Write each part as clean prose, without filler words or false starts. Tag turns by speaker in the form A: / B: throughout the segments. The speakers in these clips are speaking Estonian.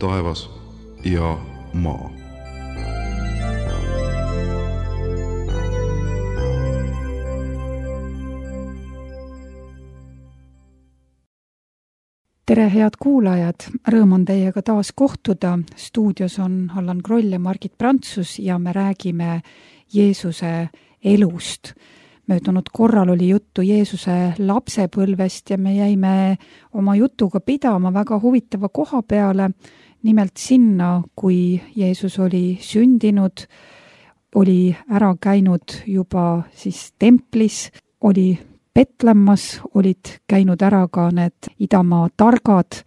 A: taevas ja maa.
B: Tere, head kuulajad! Rõõm on teiega taas kohtuda. Stuudios on Allan Kroll ja Margit Prantsus ja me räägime Jeesuse elust. Möödunud korral oli juttu Jeesuse lapsepõlvest ja me jäime oma jutuga pidama väga huvitava koha peale, nimelt sinna, kui Jeesus oli sündinud, oli ära käinud juba siis templis, oli Petlemmas, olid käinud ära ka need idamaa targad,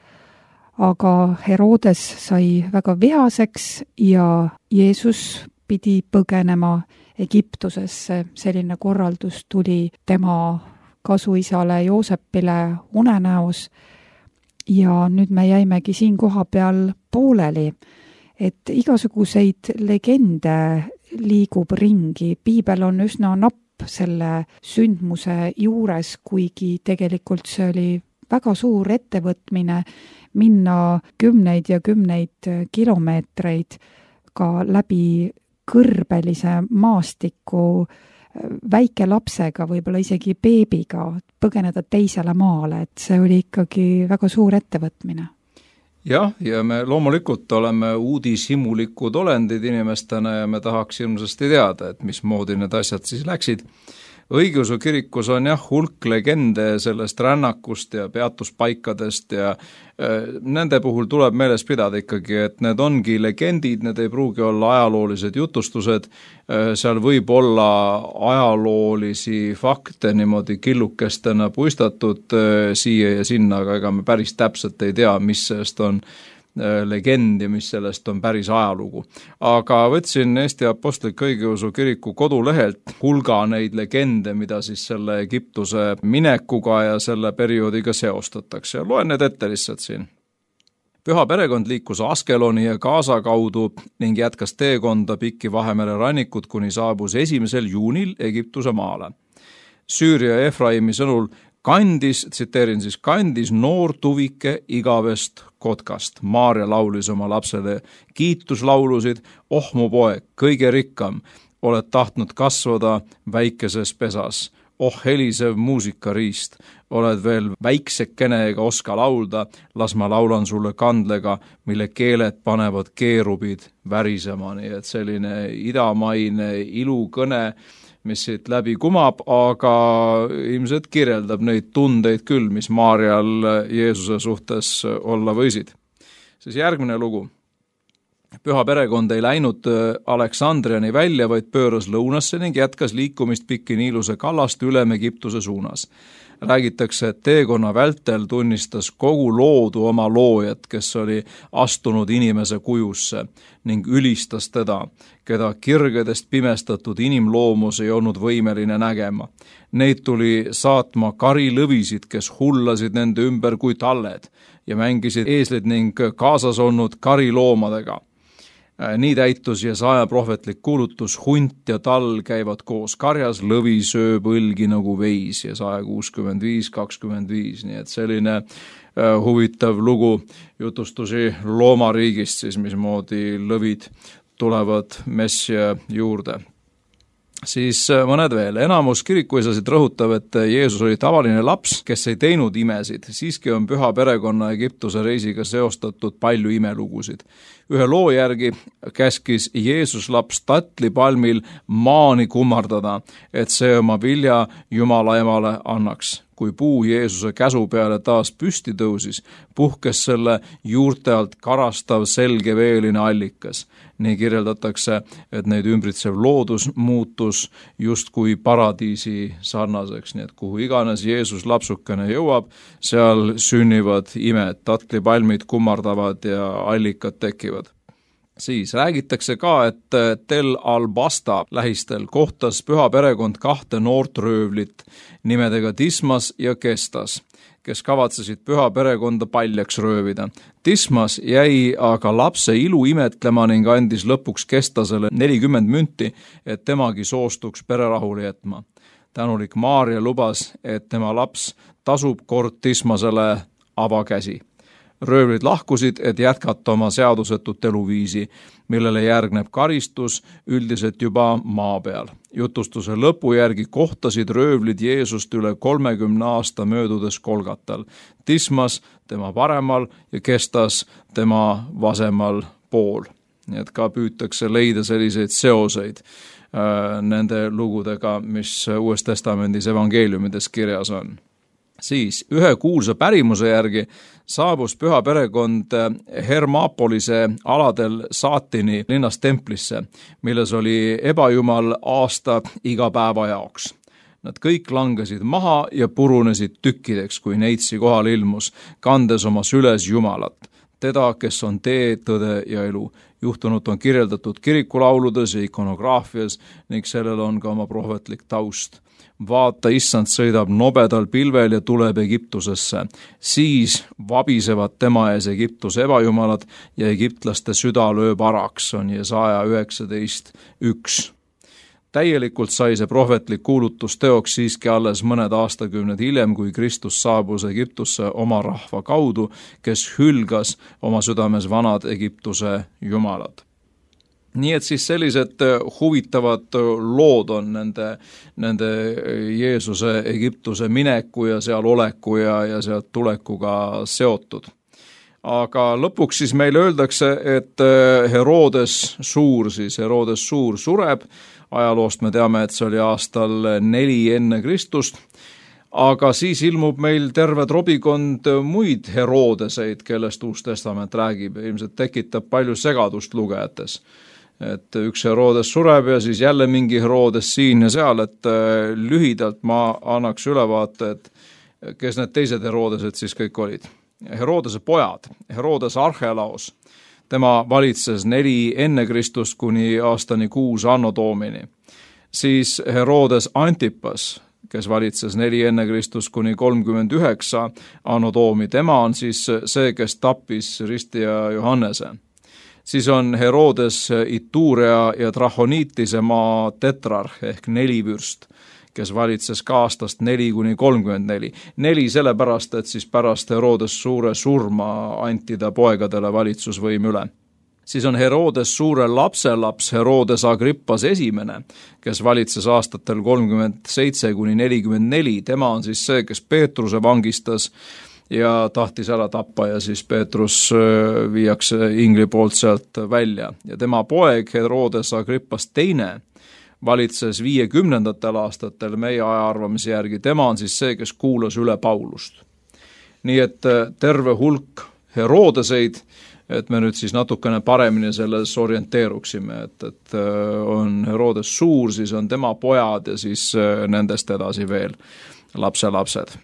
B: aga Herodes sai väga vihaseks ja Jeesus pidi põgenema Egiptusesse. Selline korraldus tuli tema kasuisale Joosepile unenäos ja nüüd me jäimegi siin koha peal pooleli, et igasuguseid legende liigub ringi. Piibel on üsna napp selle sündmuse juures, kuigi tegelikult see oli väga suur ettevõtmine minna kümneid ja kümneid kilomeetreid ka läbi kõrbelise maastiku väike lapsega, võib-olla isegi beebiga, põgeneda teisele maale, et see oli ikkagi väga suur ettevõtmine.
C: Jah, ja me loomulikult oleme uudishimulikud olendid inimestena ja me tahaks ilmsesti teada, et mismoodi need asjad siis läksid. Õigeusu kirikus on hulk legende sellest rännakust ja peatuspaikadest ja nende puhul tuleb meeles pidada ikkagi, et need ongi legendid, need ei pruugi olla ajaloolised jutustused, seal võib olla ajaloolisi fakte niimoodi killukestena puistatud siia ja sinna, aga ega me päris täpselt ei tea, mis sellest on legend ja mis sellest on päris ajalugu. Aga võtsin Eesti Apostliku Õigeusu Kiriku kodulehelt hulga neid legende, mida siis selle Egiptuse minekuga ja selle perioodiga seostatakse. Loen need ette lihtsalt siin. Püha perekond liikus Askeloni ja Gaza kaudu ning jätkas teekonda pikki Vahemere rannikut, kuni saabus 1. juunil Egiptuse maale. Süüria Efraimi sõnul kandis noor tuvike igavest kotkast. Maarja laulis oma lapsele kiituslaulusid, oh mu poeg, kõige rikkam, oled tahtnud kasvada väikeses pesas. Oh helisev muusikariist, oled veel väiksekene ega oska laulda, las ma laulan sulle kandlega, mille keeled panevad keerubid värisema. Nii et selline idamaine ilukõne, mis siit läbi kumab, aga ilmselt kirjeldab neid tundeid küll, mis Maarjal Jeesuse suhtes olla võisid. Siis järgmine lugu. Püha perekond ei läinud Aleksandriani välja, vaid pööras lõunasse ning jätkas liikumist pikki Niiluse kallast ülem Egiptuse suunas. Räägitakse, et teekonna vältel tunnistas kogu loodu oma loojat, kes oli astunud inimese kujusse ning ülistas teda, keda kirgedest pimestatud inimloomus ei olnud võimeline nägema. Neid tuli saatma karilõvisid, kes hullasid nende ümber kui talled ja mängisid eeslid ning kaasas olnud kariloomadega. Nii täitus Jesaja prohvetlik kuulutus, hunt ja tall käivad koos karjas, lõvi sööb õlgi nagu veis, Jesaja 65:25, nii et selline huvitav lugu jutustusi loomariigist, siis mismoodi lõvid tulevad messia juurde. Siis mõned veel. Enamus kirikuisasid rõhutab, et Jeesus oli tavaline laps, kes ei teinud imesid. Siiski on püha perekonna Egiptuse reisiga seostatud palju imelugusid. Ühe loo järgi käskis Jeesus laps tatlipalmil maani kummardada, et see oma vilja Jumala emale annaks. Kui puu Jeesuse käsu peale taas püsti tõusis, puhkes selle juurte alt karastav selgeveeline allikas. Nii kirjeldatakse, et neid ümbritsev loodus muutus justkui paradiisi sarnaseks, nii et kuhu iganes Jeesus lapsukene jõuab, seal sünnivad imed, tatlipalmid kummardavad ja allikad tekivad. Siis räägitakse ka, et Tel Al-Basta lähistel kohtas püha perekond 2 noort röövlit nimedega Dismas ja Kestas, kes kavatsesid püha perekonda paljaks röövida. Dismas jäi aga lapse ilu imetlema ning andis lõpuks Kestasele 40 münti, et temagi soostuks pererahule jätma. Tänulik Maarja lubas, et tema laps tasub kord Dismasele avakäsi. röövlid lahkusid, et jätkata oma seadusetut eluviisi, millele järgneb karistus üldiselt juba maa peal. Jutustuse lõpu järgi kohtasid röövlid Jeesust üle 30 aasta möödudes Kolgatal, Dismas tema paremal ja Kestas tema vasemal pool. Nii et ka püütakse leida selliseid seoseid nende lugudega, mis Uues Testamendis evangeeliumides kirjas on. Siis ühe kuulsa pärimuse järgi saabus püha perekond Hermapolise aladel Saatini linnast templisse, milles oli ebajumal aasta iga päeva jaoks. Nad kõik langesid maha ja purunesid tükkideks, kui neitsi kohal ilmus, kandes oma süles Jumalat, teda, kes on tee, tõde ja elu. Juhtunut on kirjeldatud kirikulauludes ja ikonograafias ning sellel on ka oma prohvetlik taust. Vaata, issand sõidab nobedal pilvel ja tuleb Egiptusesse. Siis vabisevad tema ees Egiptuse ebajumalad ja egiptlaste süda lööb araks, on Jesaja 19:1. Täielikult sai see prohvetlik kuulutus teoks siiski alles mõned aastakümned hiljem, kui Kristus saabus Egiptusse oma rahva kaudu, kes hülgas oma südames vanad Egiptuse jumalad. Nii et siis sellised huvitavad lood on nende Jeesuse Egiptuse mineku ja seal oleku ja sealt tulekuga seotud. Aga lõpuks siis meile öeldakse, et Herodes Suur sureb. Ajaloost me teame, et see oli aastal 4 enne Kristust, aga siis ilmub meil terve trobikond muid Herodeseid, kellest Uus Testament räägib. Ilmselt tekitab palju segadust lugejates. Et üks Herodes sureb ja siis jälle mingi Herodes siin ja seal, et lühidalt ma annaks ülevaate, et kes need teised Herodesed siis kõik olid. Herodese pojad, Herodes Archelaos, tema valitses 4 enne Kristust kuni aastani 6 anno Domini. Siis Herodes Antipas, kes valitses 4 enne Kristust kuni 39 anno Domi, tema on siis see, kes tappis ristija Johannese. Siis on Herodes Iturea ja Trachoniitise maa tetrarh ehk 4 vürst, kes valitses ka aastast 4 kuni 34. 4 sellepärast, et siis pärast Herodes Suure surma anti ta poegadele valitsusvõim üle. Siis on Herodes Suure lapselaps Herodes Agrippas esimene, kes valitses aastatel 37 kuni 44. Tema on siis see, kes Peetruse vangistas ja tahtis ära tappa ja siis Peetrus viiakse ingli poolt sealt välja. Ja tema poeg Herodes Agrippas teine valitses 50. aastatel meie ajaarvamise järgi. Tema on siis see, kes kuulas üle Paulust. Nii et terve hulk Herodeseid, et me nüüd siis natukene paremini selles orienteeruksime, et on Herodes Suur, siis on tema pojad ja siis nendest edasi veel lapselapsed.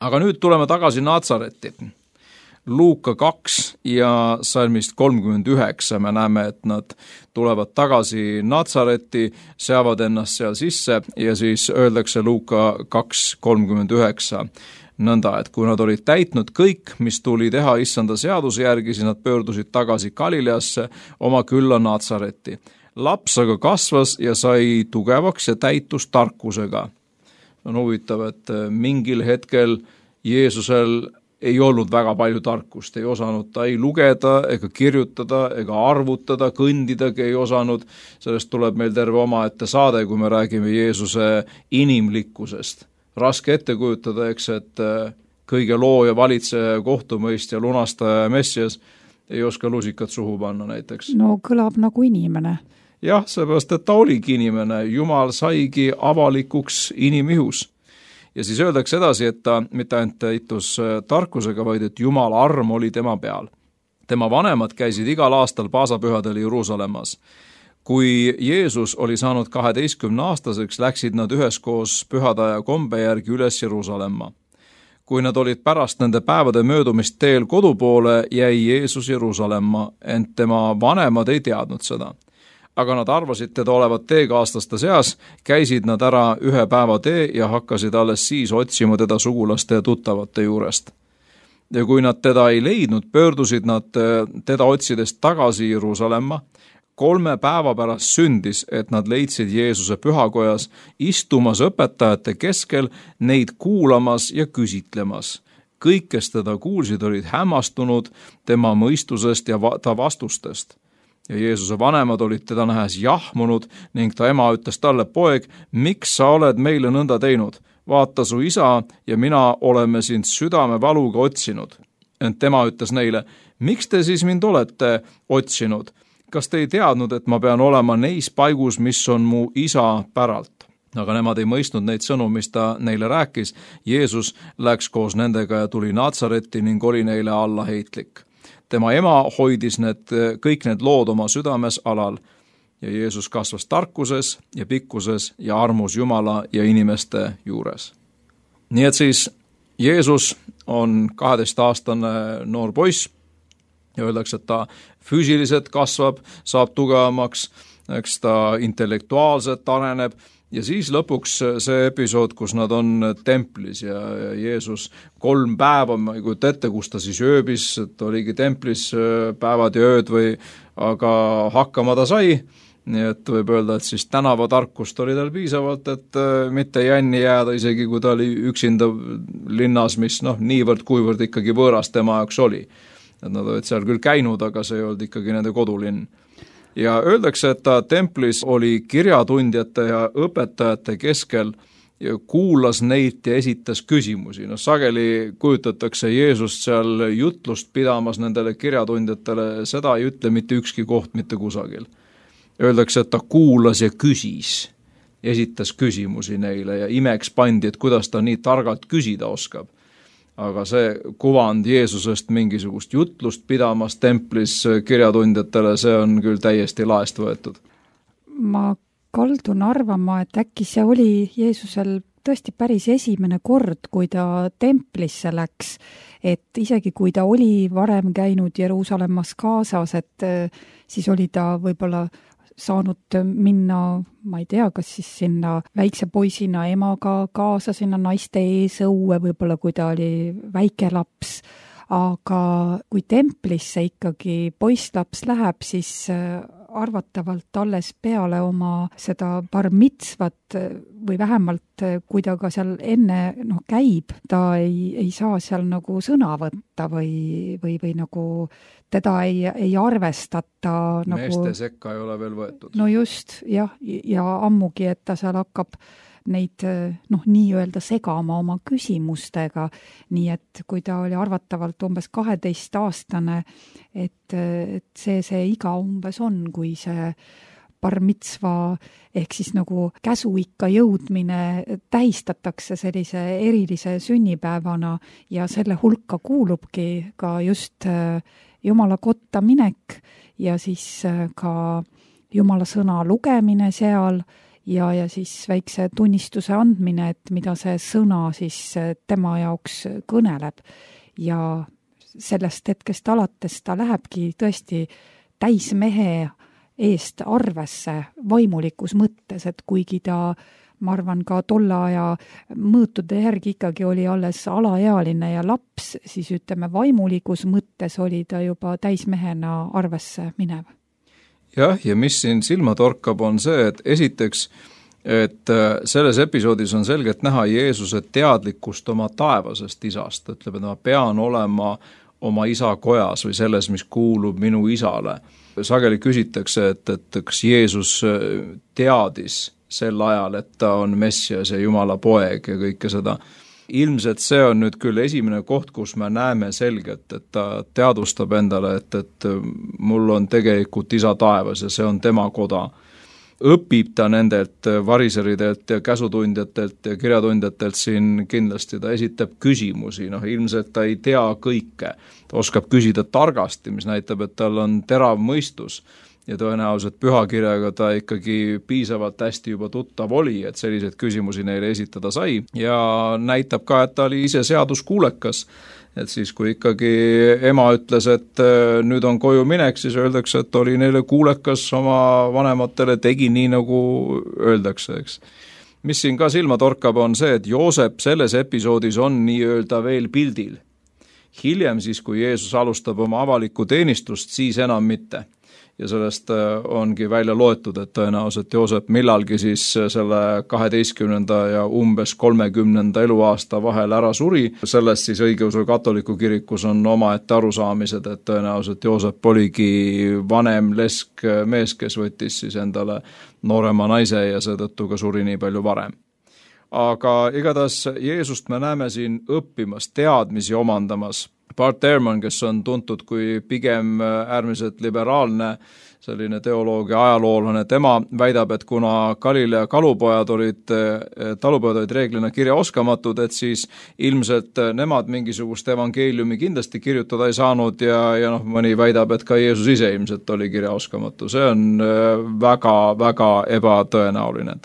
C: Aga nüüd tuleme tagasi Natsaretti. Luuka 2 ja salmist 39 me näeme, et nad tulevad tagasi Natsaretti, seavad ennast seal sisse ja siis öeldakse Luuka 2:39 nõnda, et kui nad olid täitnud kõik, mis tuli teha issanda seaduse järgi, siis nad pöördusid tagasi Galileasse oma külla Natsaretti. Laps aga kasvas ja sai tugevaks ja täitus tarkusega. On huvitav, et mingil hetkel Jeesusel ei olnud väga palju tarkust, ei osanud ta ei lugeda ega kirjutada ega arvutada, kõndidagi ei osanud. Sellest tuleb meil terve omaette saade, kui me räägime Jeesuse inimlikkusest. Raske ette kujutada, eks, et kõige looja, valitseja, kohtumõistja, lunastaja ja messias ei oska lusikat suhu panna näiteks.
B: No kõlab nagu inimene.
C: Jah, seepärast, et ta oligi inimene. Jumal saigi avalikuks inimihus. Ja siis öeldakse edasi, et ta mitte ainult täitus tarkusega, vaid et Jumala arm oli tema peal. Tema vanemad käisid igal aastal paasapühadel Jeruusalemmas. Kui Jeesus oli saanud 12-aastaseks, läksid nad üheskoos pühadaja kombe järgi üles Jeruusalemma. Kui nad olid pärast nende päevade möödumist teel kodu poole, jäi Jeesus Jeruusalemma, ent tema vanemad ei teadnud seda. Aga nad arvasid teda olevat teekaaslaste seas, käisid nad ära 1 päeva tee ja hakkasid alles siis otsima teda sugulaste ja tuttavate juurest. ja kui nad teda ei leidnud, pöördusid nad teda otsides tagasi Jeruusalemma. 3 päeva pärast sündis, et nad leidsid Jeesuse pühakojas istumas õpetajate keskel, neid kuulamas ja küsitlemas. Kõik, kes teda kuulsid, olid hämmastunud tema mõistusest ja ta vastustest. Ja Jeesuse vanemad olid teda nähes jahmunud ning ta ema ütles talle: "Poeg, miks sa oled meile nõnda teinud? Vaata, su isa ja mina oleme sind südamevaluga otsinud." Ent tema ütles neile: "Miks te siis mind olete otsinud? Kas te ei teadnud, et ma pean olema neis paigus, mis on mu isa päralt?" Aga nemad ei mõistnud neid sõnu, mis ta neile rääkis. Jeesus läks koos nendega ja tuli Naatsaretti ning oli neile allaheitlik. Tema ema hoidis kõik need lood oma südames alal ja Jeesus kasvas tarkuses ja pikkuses ja armus Jumala ja inimeste juures. Nii et siis Jeesus on 12-aastane noor poiss ja öeldakse, et ta füüsiliselt kasvab, saab tugevamaks, eks ta intellektuaalselt areneb ja siis lõpuks see episood, kus nad on templis ja Jeesus 3 päeva, ma ei kujuta ette, kus ta siis ööbis, et oligi templis päevad ja ööd aga hakkama ta sai. Nii et võib öelda, et siis tänavatarkust oli tal piisavalt, et mitte jänni jääda, isegi kui ta oli üksinda linnas, mis niivõrd-kuivõrd ikkagi võõras tema jaoks oli. Et nad olid seal küll käinud, aga see ei olnud ikkagi nende kodulinn. Ja öeldakse, et ta templis oli kirjatundjate ja õpetajate keskel ja kuulas neid ja esitas küsimusi. Sageli kujutatakse Jeesust seal jutlust pidamas nendele kirjatundjatele, seda ei ütle mitte ükski koht mitte kusagil. Öeldakse, et ta kuulas ja küsis, esitas küsimusi neile ja imeks pandi, et kuidas ta nii targalt küsida oskab. Aga see kuvand Jeesusest mingisugust jutlust pidamas templis kirjatundjatele, see on küll täiesti laest võetud.
B: Ma kaldun arvama, et äkki see oli Jeesusel tõesti päris esimene kord, kui ta templisse läks, et isegi kui ta oli varem käinud Jeruusalemmas kaasas, et siis oli ta võib-olla saanud minna, ma ei tea, kas siis sinna väikse poisina emaga kaasa sinna naiste eesõue, võib-olla kui ta oli väike laps, aga kui templisse ikkagi poisslaps läheb, siis arvatavalt alles peale oma seda bar mitzvat või vähemalt kui ta ka seal enne käib, ta ei saa seal nagu sõna võtta või nagu teda ei arvestata
C: meeste sekka ei ole veel võetud.
B: No just, jah, ja ammugi, et ta seal hakkab neid nii-öelda segama oma küsimustega, nii et kui ta oli arvatavalt umbes 12-aastane, et see iga umbes on, kui see bar mitzva ehk siis nagu käsuikka jõudmine tähistatakse sellise erilise sünnipäevana ja selle hulka kuulubki ka just Jumala kotta minek ja siis ka Jumala sõna lugemine seal ja siis väikse tunnistuse andmine, et mida see sõna siis tema jaoks kõneleb. Ja sellest hetkest alates ta lähebki tõesti täismehe eest arvesse vaimulikus mõttes, et kuigi ta, ma arvan, ka tolle aja mõõtude järgi ikkagi oli alles alaealine ja laps, siis ütleme vaimulikus mõttes oli ta juba täismehena arvesse minev.
C: Jah, ja mis siin silma torkab on see, et esiteks, et selles episoodis on selgelt näha Jeesuse teadlikkust oma taevasest isast. Ütleb, et ma pean olema oma isa kojas või selles, mis kuulub minu isale. Sageli küsitakse, et kas Jeesus teadis sel ajal, et ta on Messias ja Jumala poeg ja kõike seda. Ilmselt see on nüüd küll esimene koht, kus me näeme selgelt, et ta teadvustab endale, et mul on tegelikult isa taevas ja see on tema koda. Õpib ta nendelt variseridelt ja käsutundjatelt ja kirjatundjatelt siin kindlasti, ta esitab küsimusi, ilmselt ta ei tea kõike, ta oskab küsida targasti, mis näitab, et tal on terav mõistus ja tõenäoliselt pühakirjaga ta ikkagi piisavalt hästi juba tuttav oli, et selliseid küsimusi neile esitada sai ja näitab ka, et ta oli ise seaduskuulekas, et siis kui ikkagi ema ütles, et nüüd on koju minek, siis öeldakse, et oli neile kuulekas oma vanematele, tegi nii nagu öeldakse, eks. Mis siin ka silma torkab on see, et Joosep selles episoodis on nii-öelda veel pildil. Hiljem siis, kui Jeesus alustab oma avalikku teenistust, siis enam mitte. Ja sellest ongi välja loetud, et tõenäoliselt Joosep millalgi siis selle 12. ja umbes 30. eluaasta vahel ära suri. Sellest siis õigeusu katoliku kirikus on omaette arusaamised, et tõenäoliselt Joosep oligi vanem lesk mees, kes võttis siis endale noorema naise ja seetõttu ka suri nii palju varem. Aga igatahes Jeesust me näeme siin õppimas, teadmisi omandamas. Bart Ehrman, kes on tuntud kui pigem äärmiselt liberaalne selline teoloog ja ajaloolane, tema väidab, et kuna Galilea talupojad olid reeglina kirjaoskamatud, et siis ilmselt nemad mingisugust evangeeliumi kindlasti kirjutada ei saanud ja mõni väidab, et ka Jeesus ise ilmselt oli kirjaoskamatu. See on väga ebatõenäoline.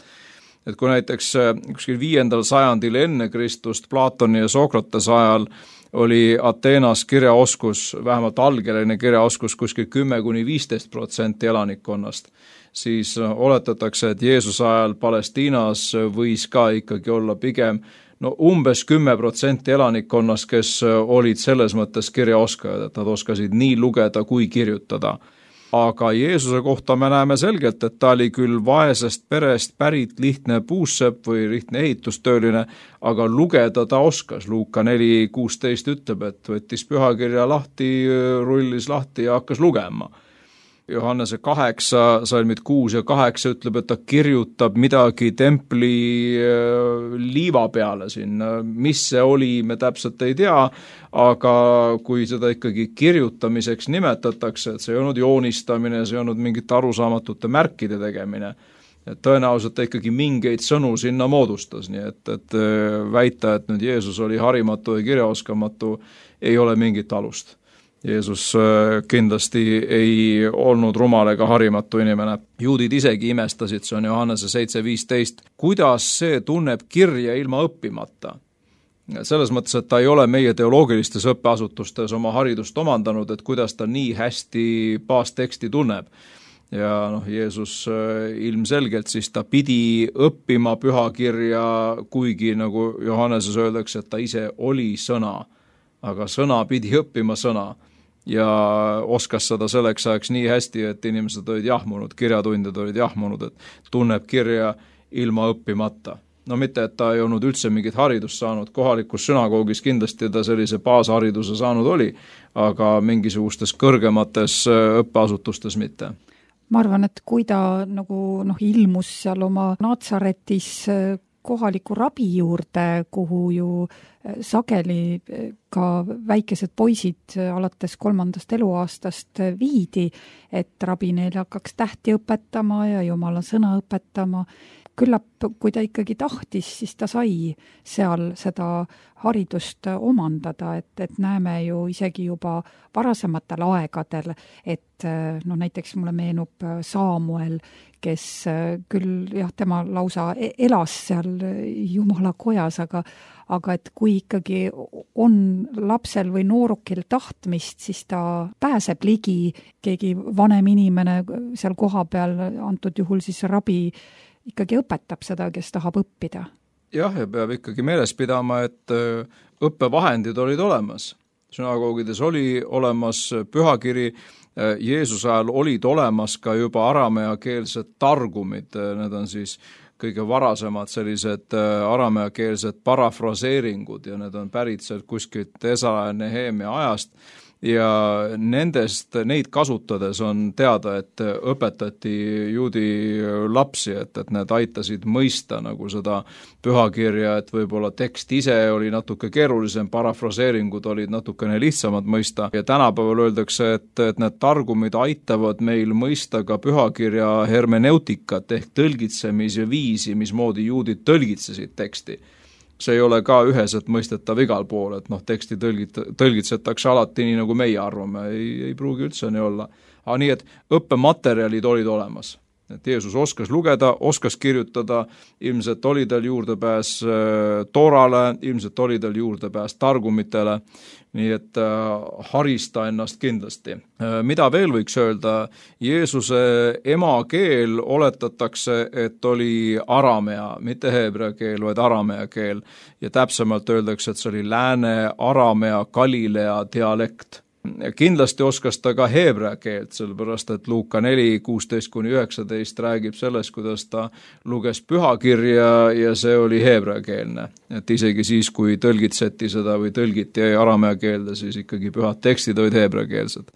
C: Et kui näiteks kuskil 5. sajandil enne Kristust Platoni ja Sokratese ajal oli Ateenas kirjaoskus, vähemalt algeline kirjaoskus kuskil 10–15% elanikkonnast, siis oletatakse, et Jeesuse ajal Palestiinas võis ka ikkagi olla pigem umbes 10% elanikkonnast, kes olid selles mõttes kirjaoskajad, et nad oskasid nii lugeda kui kirjutada. Aga Jeesuse kohta me näeme selgelt, et ta oli küll vaesest perest pärit lihtne puussepp või lihtne ehitustööline, aga lugeda ta oskas. Luuka 4:16 ütleb, et võttis pühakirja lahti, rullis lahti ja hakkas lugema. Johannese 8, salmid 6 ja 8 ütleb, et ta kirjutab midagi templi liiva peale siin. Mis see oli, me täpselt ei tea, aga kui seda ikkagi kirjutamiseks nimetatakse, et see ei olnud joonistamine, see ei olnud mingite arusaamatute märkide tegemine, et tõenäoliselt ta ikkagi mingeid sõnu sinna moodustas, nii et väita, et nüüd Jeesus oli harimatu ja kirjaoskamatu, ei ole mingit alust. Jeesus kindlasti ei olnud rumal ega harimatu inimene. Juudid isegi imestasid, see on Johannese 7:15, kuidas see tunneb kirja ilma õppimata. Selles mõttes, et ta ei ole meie teoloogilistes õppeasutustes oma haridust omandanud, et kuidas ta nii hästi baasteksti tunneb. Ja Jeesus ilmselgelt siis ta pidi õppima pühakirja, kuigi nagu Johanneses öeldakse, et ta ise oli sõna, aga sõna pidi õppima sõna. Ja oskas seda selleks ajaks nii hästi, et inimesed olid jahmunud, kirjatundjad olid jahmunud, et tunneb kirja ilma õppimata. Mitte, et ta ei olnud üldse mingit haridust saanud, kohalikus sünagoogis kindlasti ta sellise baashariduse saanud oli, aga mingisugustes kõrgemates õppeasutustes mitte.
B: Ma arvan, et kui ta ilmus seal oma Natsaretis kohaliku rabi juurde, kuhu ju sageli ka väikesed poisid alates 3. eluaastast viidi, et rabi neile hakkaks tähti õpetama ja Jumala sõna õpetama. Küllap, kui ta ikkagi tahtis, siis ta sai seal seda haridust omandada, et näeme ju isegi juba varasematel aegadel, et näiteks mulle meenub Saamuel, kes küll tema lausa elas seal Jumala kojas, aga et kui ikkagi on lapsel või noorukil tahtmist, siis ta pääseb ligi, keegi vanem inimene seal koha peal, antud juhul siis rabi, ikkagi õpetab seda, kes tahab õppida.
C: Jah, ja peab ikkagi meeles pidama, et õppevahendid olid olemas. Sünagoogides oli olemas pühakiri, Jeesuse ajal olid olemas ka juba arameakeelsed targumid, need on siis kõige varasemad sellised arameakeelsed parafraseeringud ja need on pärit sealt kuskilt Esra ja Nehemia ajast. Ja neid kasutades on teada, et õpetati juudi lapsi, et need aitasid mõista nagu seda pühakirja, et võib-olla tekst ise oli natuke keerulisem, parafraseeringud olid natukene lihtsamad mõista ja tänapäeval öeldakse, et need targumid aitavad meil mõista ka pühakirja hermeneutikat ehk tõlgitsemise viisi, mismoodi juudid tõlgitsesid teksti. See ei ole ka üheselt mõistetav igal pool, et teksti tõlgitsetakse alati nii, nagu meie arvame, ei pruugi üldse nii olla. Aga nii, et õppematerjalid olid olemas. et Jeesus oskas lugeda, oskas kirjutada, ilmselt oli tal juurdepääs Toorale, ilmselt oli tal juurdepääs targumitele, nii et haris ta ennast kindlasti. Mida veel võiks öelda? Jeesuse emakeel oletatakse, et oli aramea, mitte heebrea keel, vaid aramea keel. Ja täpsemalt öeldakse, et see oli lääne aramea Galilea dialekt. Kindlasti oskas ta ka heebrea keelt, sellepärast et Luuka 4:16-19 räägib sellest, kuidas ta luges pühakirja ja see oli heebrea keelne. Et isegi siis, kui tõlgitseti seda või tõlgiti aramea keelde, siis ikkagi pühad tekstid olid heebrea keelsed.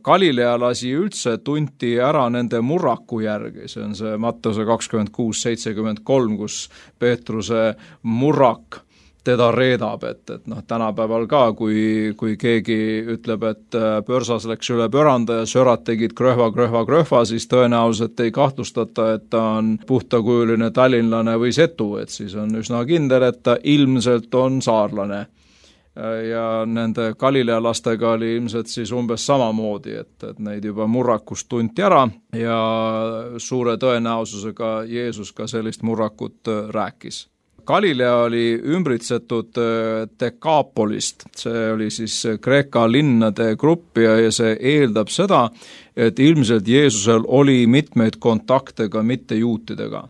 C: Galilealasi üldse tunti ära nende murraku järgi, see on see Mattuse 26:73, kus Peetruse murrak teda reedab, et tänapäeval ka, kui keegi ütleb, et pörsas läks üle pöranda ja sörad tegid kröhva, siis tõenäoliselt ei kahtlustata, et ta on puhtakujuline tallinlane või setu, et siis on üsna kindel, et ta ilmselt on saarlane. Ja nende Galilea lastega oli ilmselt siis umbes samamoodi, et neid juba murrakust tunti ära ja suure tõenäosusega Jeesus ka sellist murrakut rääkis. Galilea oli ümbritsetud Dekaapolist, see oli siis Kreeka linnade grupp ja see eeldab seda, et ilmselt Jeesusel oli mitmeid kontakte ka mittejuutidega.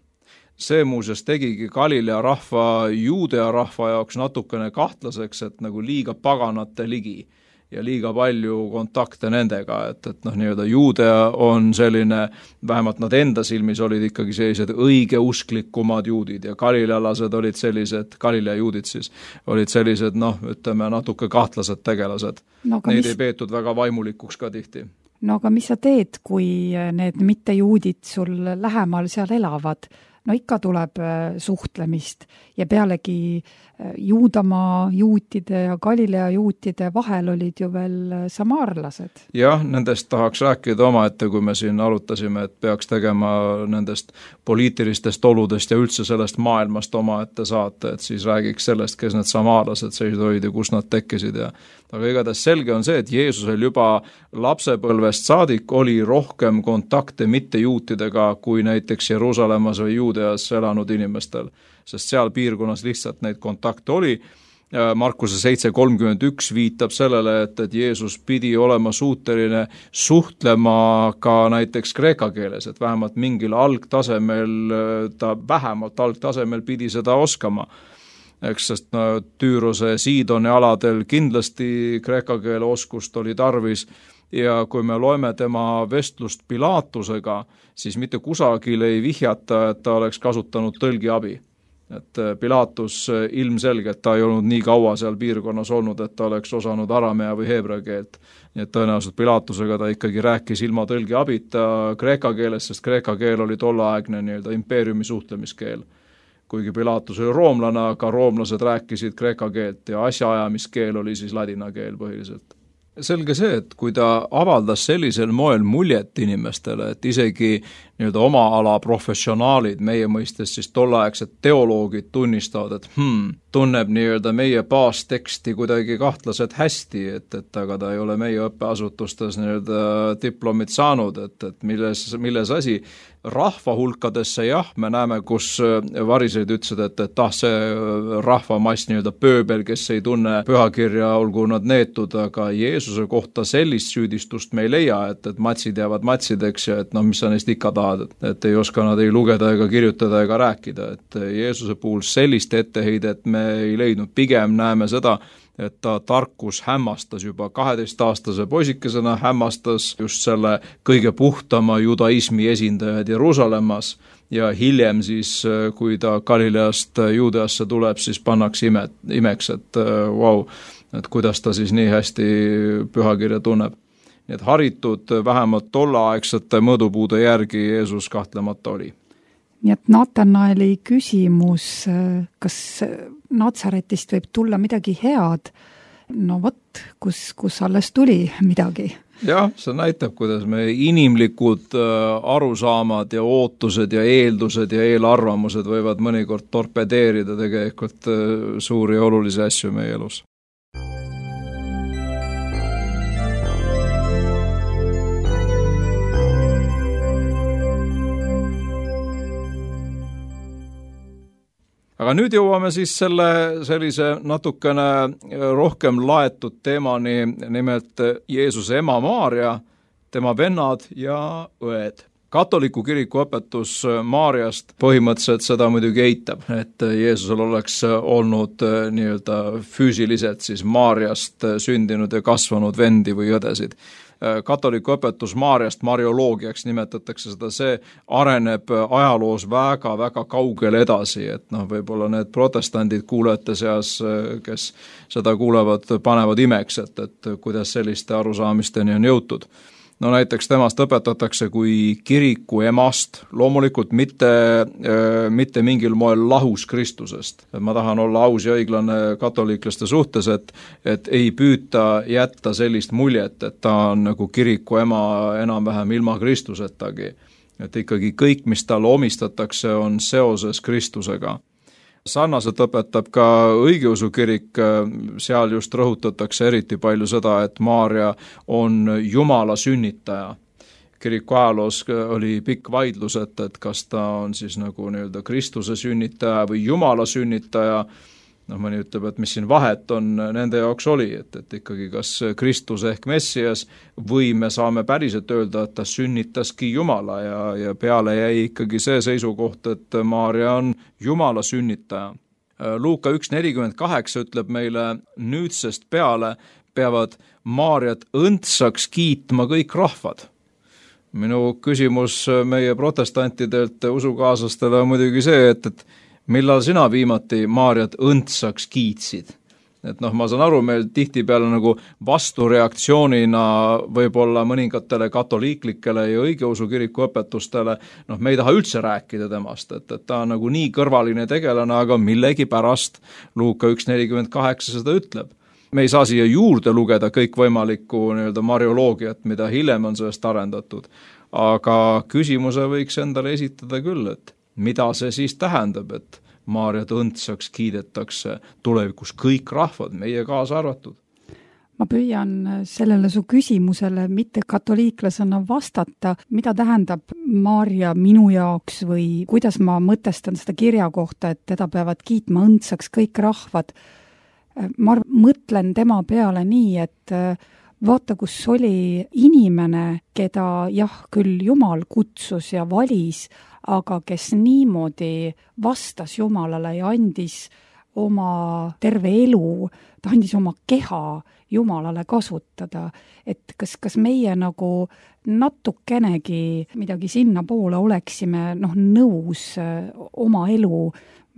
C: See muuseas tegigi Galilea rahva, Juudea rahva jaoks natukene kahtlaseks, et nagu liiga paganate ligi ja liiga palju kontakte nendega, et nii-öelda Juudea on selline, vähemalt nad enda silmis olid ikkagi sellised õigeusklikumad juudid ja galilealased olid sellised, Galilea juudid siis, olid sellised, ütleme, natuke kahtlased tegelased. Neid ei peetud väga vaimulikuks ka tihti.
B: No aga mis sa teed, kui need mittejuudid sul lähemal seal elavad? No ikka tuleb suhtlemist ja pealegi Juudamaa juutide ja Galilea juutide vahel olid ju veel samaarlased.
C: Jah, nendest tahaks rääkida omaette, kui me siin arutasime, et peaks tegema nendest poliitilistest oludest ja üldse sellest maailmast omaette saate, et siis räägiks sellest, kes need samaarlased sellised olid ja kus nad tekkisid. Aga igatahes selge on see, et Jeesusel juba lapsepõlvest saadik oli rohkem kontakte mittejuutidega kui näiteks Jeruusalemmas või Juudeas elanud inimestel, sest seal piirkonnas lihtsalt neid kontakte oli. Markuse 7:31 viitab sellele, et Jeesus pidi olema suuteline suhtlema ka näiteks kreeka keeles, et vähemalt mingil vähemalt algtasemel pidi seda oskama. Sest Tüürose Siidoni aladel kindlasti kreeka keele oskust oli tarvis ja kui me loeme tema vestlust Pilaatusega, siis mitte kusagil ei vihjata, et ta oleks kasutanud tõlgiabi. Et Pilaatus ilmselgelt ta ei olnud nii kaua seal piirkonnas olnud, et ta oleks osanud aramea või heebrea keelt. Nii et tõenäoliselt Pilaatusega ta ikkagi rääkis ilma tõlgiabita kreeka keeles, sest kreeka keel oli tolleaegne nii-öelda impeeriumi suhtlemiskeel. Kuigi Pilaatus oli roomlane, aga roomlased rääkisid kreeka keelt ja asjaajamiskeel oli siis ladina keel põhiliselt. Selge see, et kui ta avaldas sellisel moel muljet inimestele, et isegi nii-öelda oma ala professionaalid, meie mõistes siis tolleaegsed teoloogid tunnistavad, et tunneb nii-öelda meie baasteksti kuidagi kahtlaselt hästi, et aga ta ei ole meie õppeasutustes nii-öelda diplomit saanud, et milles asi. Rahva hulkadesse jah, me näeme, kus variseid ütlesid, et see rahvamass nii-öelda pööbel, kes ei tunne pühakirja, olgu nad neetud, aga Jeesuse kohta sellist süüdistust me ei leia, et matsid jäävad matsideks ja et mis sa neist ikka tahad, et ei oska nad ei lugeda ega kirjutada ega rääkida, et Jeesuse puhul sellist etteheidet me ei leidnud, pigem näeme seda, et ta tarkus hämmastas juba 12-aastase poisikesena, hämmastas just selle kõige puhtama judaismi esindajad Jeruusalemmas ja hiljem siis, kui ta Galileast Juudeasse tuleb, siis pannakse imeks, et et kuidas ta siis nii hästi pühakirja tunneb. Nii et haritud vähemalt tolleaegsete mõõdupuude järgi Jeesus kahtlemata oli.
B: Nii et Natanaeli küsimus, kas Natsaretist võib tulla midagi head? No vot, kus alles tuli midagi?
C: Jah, see näitab, kuidas me inimlikud arusaamad ja ootused ja eeldused ja eelarvamused võivad mõnikord torpedeerida tegelikult suuri ja olulisi asju meie elus. Aga nüüd jõuame siis sellise natukene rohkem laetud teemani, nimelt Jeesuse ema Maarja, tema vennad ja õed. Katoliku kiriku õpetus Maarjast põhimõtteliselt seda muidugi eitab, et Jeesusel oleks olnud nii-öelda füüsiliselt siis Maarjast sündinud ja kasvanud vendi või õdesid. Katoliku õpetus Maarjast, marioloogiaks nimetatakse seda, see areneb ajaloos väga-väga kaugel edasi, et võib-olla need protestandid kuulajate seas, kes seda kuulevad, panevad imeks, et kuidas selliste arusaamisteni on jõutud. No näiteks temast õpetatakse kui kiriku emast, loomulikult mitte mingil moel lahus Kristusest. Ma tahan olla aus ja õiglane katoliiklaste suhtes, et ei püüta jätta sellist muljet, et ta on nagu kiriku ema enam-vähem ilma Kristusetagi. Et ikkagi kõik, mis talle omistatakse, on seoses Kristusega. Sarnaselt õpetab ka õigeusu kirik, seal just rõhutatakse eriti palju seda, et Maarja on Jumala sünnitaja. Kiriku ajaloos oli pikk vaidlus, et kas ta on siis nagu nii-öelda Kristuse sünnitaja või Jumala sünnitaja. Mõni ütleb, et mis siin vahet on nende jaoks oli, et ikkagi kas Kristus ehk Messias või me saame päriselt öelda, et ta sünnitaski Jumala ja peale jäi ikkagi see seisukoht, et Maarja on Jumala sünnitaja. Luuka 1.48 ütleb meile, nüüdsest peale peavad Maarjat õndsaks kiitma kõik rahvad. Minu küsimus meie protestantidelt usukaaslastele on muidugi see, et millal sina viimati Maarjat õndsaks kiitsid? Et ma saan aru, meil tihtipeale nagu vastureaktsioonina võib-olla mõningatele katoliiklikele ja õigeusu kiriku õpetustele, me ei taha üldse rääkida temast, et ta on nagu nii kõrvaline tegelane, aga millegi pärast Luuka 1.48 seda ütleb. Me ei saa siia juurde lugeda kõikvõimalikku nii-öelda marioloogiat, mida hiljem on sellest arendatud, aga küsimuse võiks endale esitada küll, et mida see siis tähendab, et Maarjat õndsaks kiidetakse tulevikus kõik rahvad, meie kaasa arvatud?
B: Ma püüan sellele su küsimusele mitte katoliiklasena vastata, mida tähendab Maarja minu jaoks või kuidas ma mõtestan seda kirja kohta, et teda peavad kiitma õndsaks kõik rahvad. Ma mõtlen tema peale nii, et vaata, kus oli inimene, keda küll Jumal kutsus ja valis, aga kes niimoodi vastas Jumalale ja andis oma terve elu, ta andis oma keha Jumalale kasutada. Et kas meie nagu natukenegi midagi sinna poole oleksime nõus oma elu,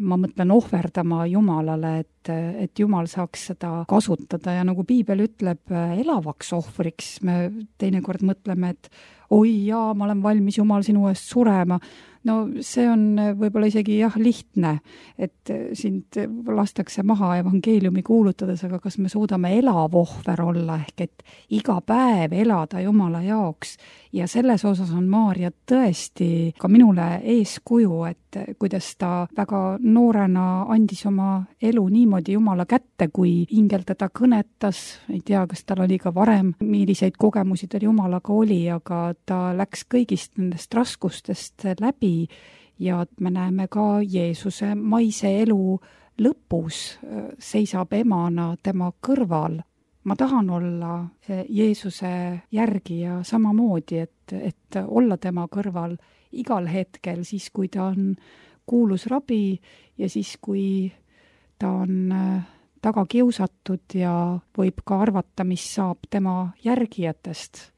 B: ma mõtlen ohverdama Jumalale, et Jumal saaks seda kasutada ja nagu piibel ütleb, elavaks ohvriks. Me teinekord mõtleme, et oi jaa, ma olen valmis Jumal sinu eest surema. No see on võib-olla isegi lihtne, et sind lastakse maha evangeeliumi kuulutades, aga kas me suudame elav ohver olla, ehk et iga päev elada Jumala jaoks. Ja selles osas on Maarja tõesti ka minule eeskuju, et kuidas ta väga noorena andis oma elu niimoodi Jumala kätte, kui ingel teda kõnetas. Ei tea, kas tal oli ka varem, milliseid kogemusi tal Jumalaga oli, aga ta läks kõigist nendest raskustest läbi ja me näeme ka Jeesuse maise elu lõpus seisab emana tema kõrval. Ma tahan olla Jeesuse järgija samamoodi, et olla tema kõrval igal hetkel, siis kui ta on kuulus rabi ja siis kui ta on taga kiusatud ja võib ka arvata, mis saab tema järgijatest.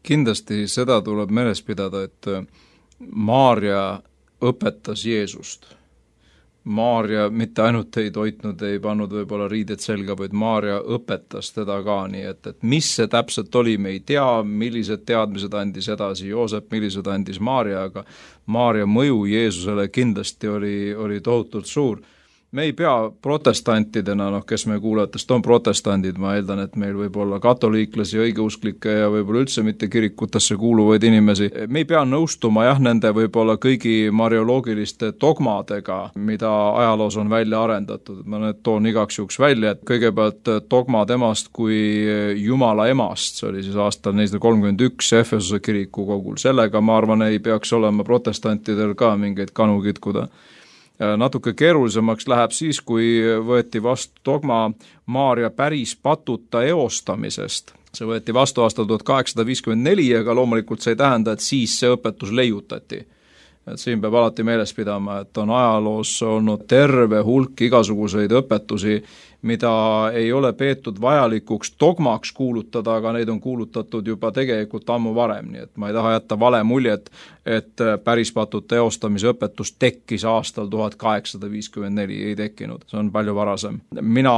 C: Kindlasti seda tuleb meeles pidada, et Maarja õpetas Jeesust. Maarja mitte ainult ei toitnud, ei pannud võib-olla riided selga, vaid Maarja õpetas teda ka nii, et mis see täpselt oli, me ei tea, millised teadmised andis edasi Joosep, millised andis Maarja, aga Maarja mõju Jeesusele kindlasti oli tohutult suur. Me ei pea protestantidena, kes me kuulajatest on protestandid, ma eeldan, et meil võib olla katoliiklasi, õigeusklikke ja võib-olla üldse mitte kirikutesse kuuluvaid inimesi. Me ei pea nõustuma nende võib-olla kõigi marioloogiliste dogmadega, mida ajaloos on välja arendatud. Ma need toon igaks juhuks välja, et kõigepealt dogma temast kui Jumala emast, see oli siis aastal 431 Efesuse kiriku kogul. Sellega, ma arvan, ei peaks olema protestantidel ka mingeid kanu kitkuda. Natuke keerulisemaks läheb siis, kui võeti vastu dogma Maarja päris patuta eostamisest. See võeti vastu aastal 1854, aga loomulikult see ei tähenda, et siis see õpetus leiutati. Et siin peab alati meeles pidama, et on ajaloos olnud terve hulk igasuguseid õpetusi, mida ei ole peetud vajalikuks dogmaks kuulutada, aga neid on kuulutatud juba tegelikult ammu varem, nii et ma ei taha jätta vale muljet, et päris patute eostamise õpetus tekkis aastal 1854, ei tekkinud, see on palju varasem. Mina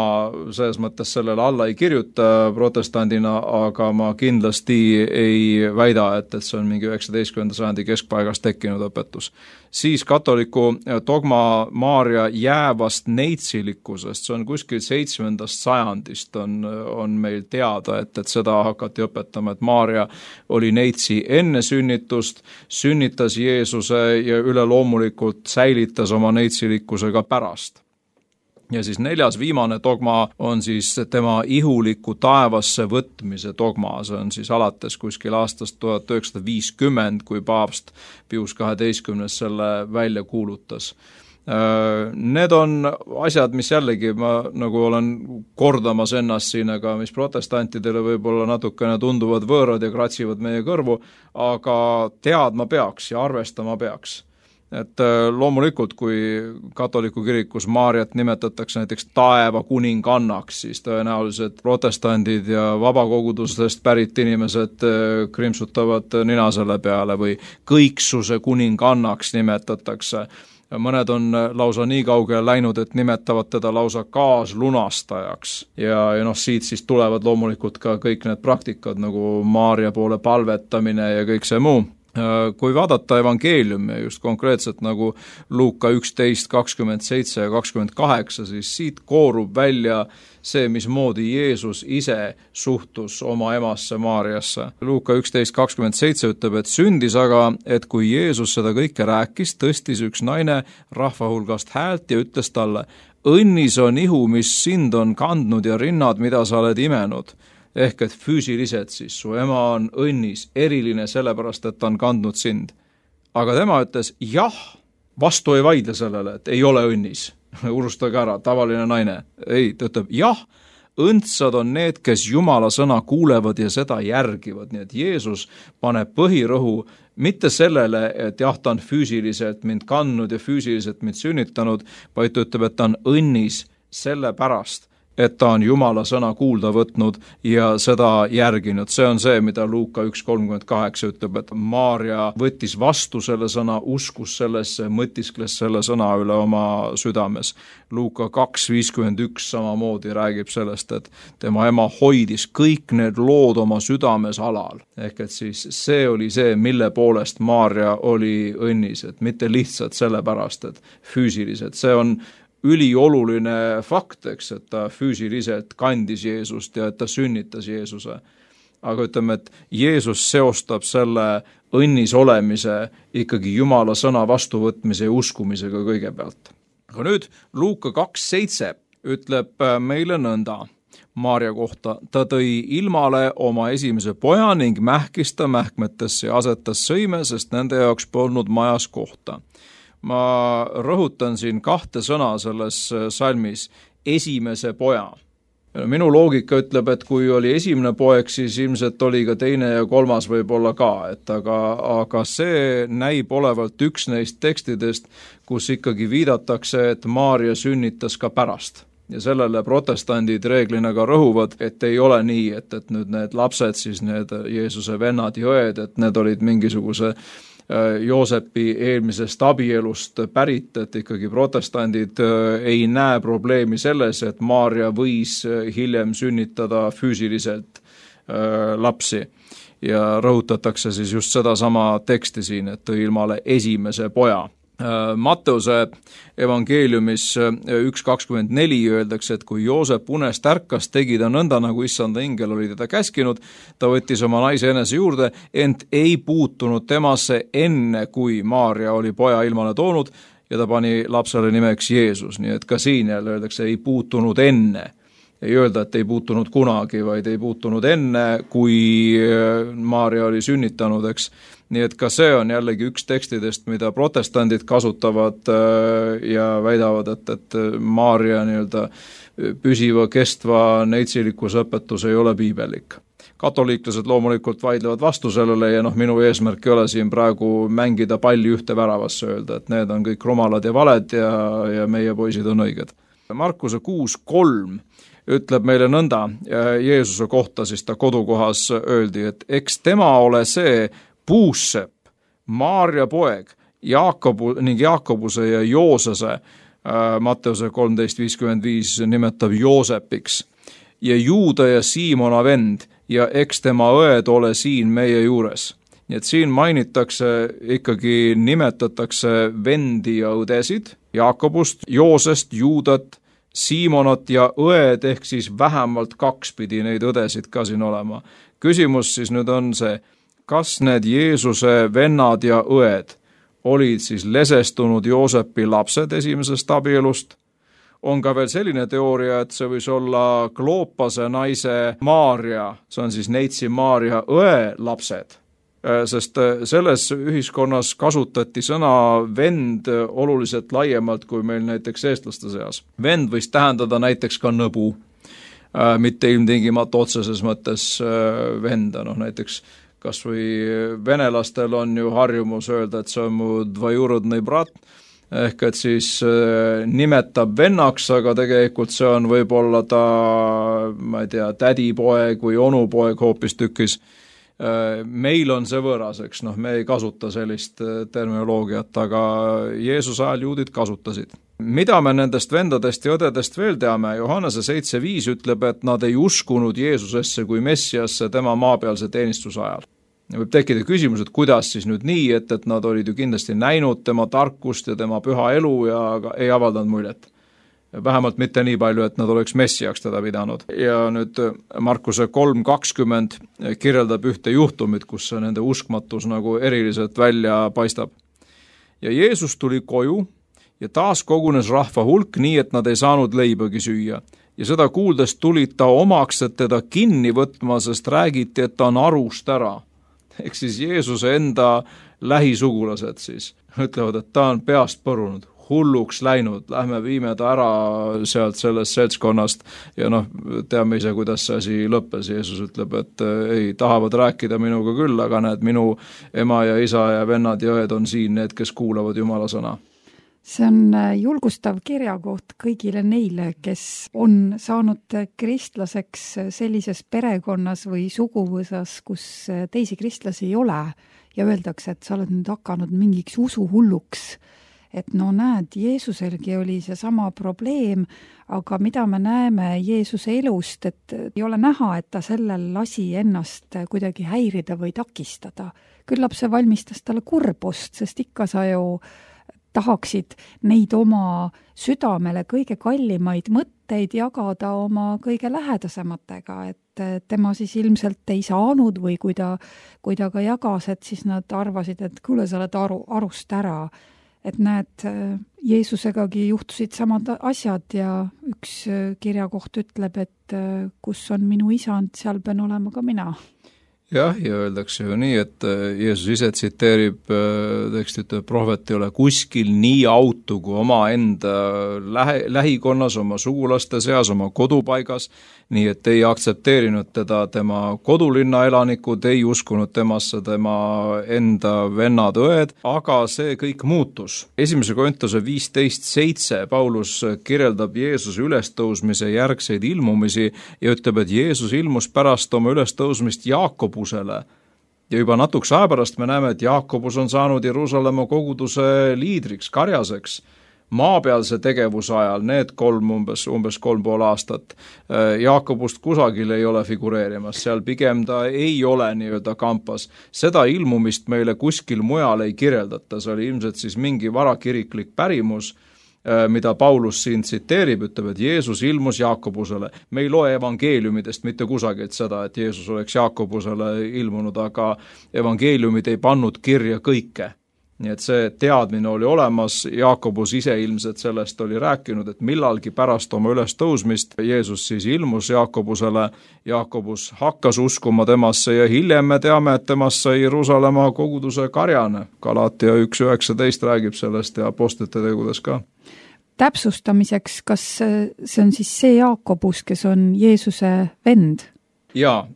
C: selles mõttes sellele alla ei kirjuta protestandina, aga ma kindlasti ei väida, et see on mingi 19. sajandi keskpaigast tekkinud õpetus. Siis katoliku dogma Maarja jäävast neitsilikkusest, see on kuskil 7. sajandist on meil teada, et seda hakati õpetama, et Maarja oli neitsi enne sünnitust, sünnitas Jeesuse ja üleloomulikult säilitas oma neitsilikkusega pärast. Ja siis 4. viimane dogma on siis tema ihuliku taevasse võtmise dogma, see on siis alates kuskil aastast 1950, kui paavst Pius 12. selle välja kuulutas. Need on asjad, mis jällegi ma nagu olen kordamas ennast siin, aga mis protestantidele võib-olla natukene tunduvad võõrad ja kratsivad meie kõrvu, aga teadma peaks ja arvestama peaks. Et loomulikult, kui katoliku kirikus Maarjat nimetatakse näiteks taeva kuningannaks, siis tõenäoliselt protestandid ja vabakogudustest pärit inimesed krimpsutavad nina selle peale või kõiksuse kuningannaks nimetatakse. Mõned on lausa nii kaugele läinud, et nimetavad teda lausa kaaslunastajaks. Ja siit siis tulevad loomulikult ka kõik need praktikad nagu Maarja poole palvetamine ja kõik see muu. Kui vaadata evangeeliumi just konkreetselt nagu Luuka 11, 27 ja 28, siis siit koorub välja see, mismoodi Jeesus ise suhtus oma emasse Maarjasse. Luuka 11, 27 ütleb, et sündis aga, et kui Jeesus seda kõike rääkis, tõstis üks naine rahva hulgast häält ja ütles talle, õnnis on ihu, mis sind on kandnud ja rinnad, mida sa oled imenud. Ehk et füüsiliselt siis su ema on õnnis, eriline sellepärast, et ta on kandnud sind. Aga tema ütles, jah, vastu ei vaidle sellele, et ei ole õnnis. Urustage ära, tavaline naine. Ei, ta ütleb, jah, õndsad on need, kes Jumala sõna kuulevad ja seda järgivad. Nii et Jeesus paneb põhirõhu mitte sellele, et jah, ta on füüsiliselt mind kandnud ja füüsiliselt mind sünnitanud, vaid ta ütleb, et ta on õnnis selle pärast, et ta on Jumala sõna kuulda võtnud ja seda järginud. See on see, mida Luuka 1.38 ütleb, et Maarja võttis vastu selle sõna, uskus sellesse, mõtiskles selle sõna üle oma südames. Luuka 2.51 samamoodi räägib sellest, et tema ema hoidis kõik need lood oma südames alal. Ehk et siis see oli see, mille poolest Maarja oli õnnis, et mitte lihtsalt sellepärast, et füüsiliselt. See on ülioluline fakt, eks, et ta füüsiliselt kandis Jeesust ja et ta sünnitas Jeesuse. Aga ütleme, et Jeesus seostab selle õnnis olemise ikkagi Jumala sõna vastuvõtmise ja uskumisega kõigepealt. Aga nüüd Luuka 2.7 ütleb meile nõnda Maarja kohta. Ta tõi ilmale oma esimese poja ning mähkis ta mähkmetesse ja asetas sõime, sest nende jaoks polnud majas kohta. Ma rõhutan siin 2 sõna selles salmis, esimese poja. Minu loogika ütleb, et kui oli esimene poeg, siis ilmselt oli ka teine ja kolmas võib-olla ka, aga see näib olevalt üks neist tekstidest, kus ikkagi viidatakse, et Maarja sünnitas ka pärast. Ja sellele protestandid reeglina ka rõhuvad, et ei ole nii, et nüüd need lapsed, siis need Jeesuse vennad ja õed, et need olid mingisuguse Joosepi eelmisest abielust pärit, et ikkagi protestandid ei näe probleemi selles, et Maarja võis hiljem sünnitada füüsiliselt lapsi. Ja rõhutatakse siis just seda sama teksti siin, et tõi ilmale esimese poja. Matteuse evangeeliumis 1.24 öeldakse, et kui Joosep unest ärkas, tegi ta nõnda, nagu issanda ingel oli teda käskinud, ta võttis oma naise enese juurde, ent ei puutunud temasse enne, kui Maarja oli poja ilmale toonud ja ta pani lapsele nimeks Jeesus, nii et ka siin jälle öeldakse, ei puutunud enne. ei öelda, et ei puutunud kunagi, vaid ei puutunud enne, kui Maarja oli sünnitanud, eks. Nii et ka see on jällegi üks tekstidest, mida protestandid kasutavad ja väidavad, et Maarja nii-öelda püsiva, kestva neitsillikkusõpetus ei ole piibellik. Katoliiklased loomulikult vaidlevad vastu sellele ja minu eesmärk ei ole siin praegu mängida palli ühte väravasse, öelda, et need on kõik rumalad ja valed ja meie poisid on õiged. Markuse 6:3 ütleb meile nõnda, Jeesuse kohta siis ta kodukohas öeldi, et eks tema ole see puussepp, Maarja poeg, Jaakobuse ja Joosese, Matteuse 13:55 nimetab Joosepiks, ja Juuda ja Siimona vend, ja eks tema õed ole siin meie juures. Nii et siin mainitakse, ikkagi nimetatakse vendi ja õdesid, Jaakobust, Joosest, Juudat, Siimonat ja õed, ehk siis vähemalt 2 pidi neid õdesid ka siin olema. Küsimus siis nüüd on see, kas need Jeesuse vennad ja õed olid siis lesestunud Joosepi lapsed esimesest abielust? On ka veel selline teooria, et see võis olla Kloopase naise Maarja, see on siis neitsi Maarja õe lapsed, sest selles ühiskonnas kasutati sõna vend oluliselt laiemalt kui meil näiteks eestlaste seas. Vend võis tähendada näiteks ka nõbu, mitte ilmtingimata otseses mõttes venda, näiteks kas või venelastel on ju harjumus öelda, et see on mu dvajurodnõi brat, ehk et siis nimetab vennaks, aga tegelikult see on võib-olla ta, ma ei tea, tädipoeg või onupoeg hoopis tükis. Meil on see võõraseks, me ei kasuta sellist terminoloogiat, aga Jeesuse ajal juudid kasutasid. Mida me nendest vendadest ja õdedest veel teame? Johannese 7:5 ütleb, et nad ei uskunud Jeesusesse kui Messiasse tema maapealse teenistuse ajal. Võib tekkida küsimus, et kuidas siis nüüd nii, et nad olid ju kindlasti näinud tema tarkust ja tema püha elu ja ei avaldanud muljet. Vähemalt mitte nii palju, et nad oleks messiaks teda pidanud. Ja nüüd Markuse 3:20 kirjeldab ühte juhtumit, kus nende uskmatus nagu eriliselt välja paistab. Ja Jeesus tuli koju ja taas kogunes rahva hulk nii, et nad ei saanud leibagi süüa. Ja seda kuuldes tulid ta omaks, et teda kinni võtma, sest räägiti, et ta on arust ära. Ehk siis Jeesuse enda lähisugulased siis ütlevad, et ta on peast põrunud, hulluks läinud, lähme viime ta ära sealt sellest seltskonnast ja teame ise, kuidas see asi lõppes. Jeesus ütleb, et ei, tahavad rääkida minuga küll, aga need minu ema ja isa ja vennad ja õed on siin, need, kes kuulavad Jumala sõna.
B: See on julgustav kirjakoht kõigile neile, kes on saanud kristlaseks sellises perekonnas või suguvõsas, kus teisi kristlasi ei ole ja öeldakse, et sa oled nüüd hakanud mingiks usuhulluks. Et näed, Jeesuselgi oli see sama probleem, aga mida me näeme Jeesuse elust, et ei ole näha, et ta sellel lasi ennast kuidagi häirida või takistada. Küllap see valmistas talle kurbust, sest ikka sa ju tahaksid neid oma südamele kõige kallimaid mõtteid jagada oma kõige lähedasematega, et tema siis ilmselt ei saanud või kui ta ka jagas, et siis nad arvasid, et kuule, sa oled arust ära. Et näed, Jeesusegagi juhtusid samad asjad ja üks kirjakoht ütleb, et kus on minu isand, seal pean olema ka mina.
C: Jah, ja öeldakse ju nii, et Jeesus ise tsiteerib tekstit, prohvet ei ole kuskil nii autu kui oma enda lähikonnas, oma sugulaste seas, oma kodupaigas, nii et ei aktsepteerinud teda tema kodulinna elanikud, ei uskunud temasse tema enda vennad, õed, aga see kõik muutus. 1. Korintuse 15:7 Paulus kirjeldab Jeesuse ülestõusmise järgseid ilmumisi ja ütleb, et Jeesus ilmus pärast oma ülestõusmist Jaakobusele. Ja juba natukese aja pärast me näeme, et Jaakobus on saanud Jeruusalemma koguduse liidriks, karjaseks. Maapealse tegevuse ajal, need umbes 3,5 aastat, Jaakobust kusagil ei ole figureerimas, seal pigem ta ei ole nii-öelda kampas. Seda ilmumist meile kuskil mujal ei kirjeldata, see oli ilmselt siis mingi varakiriklik pärimus, mida Paulus siin tsiteerib, ütleb, et Jeesus ilmus Jaakobusele. Me ei loe evangeeliumidest mitte kusagilt seda, et Jeesus oleks Jaakobusele ilmunud, aga evangeeliumid ei pannud kirja kõike. Nii et see teadmine oli olemas, Jaakobus ise ilmselt sellest oli rääkinud, et millalgi pärast oma ülestõusmist Jeesus siis ilmus Jaakobusele, Jaakobus hakkas uskuma temasse ja hiljem me teame, et temast sai Jeruusalemma koguduse karjane. Galatia 1.19 räägib sellest ja apostlite tegudes ka.
B: Täpsustamiseks, kas see on siis see Jaakobus, kes on Jeesuse vend?
C: Ja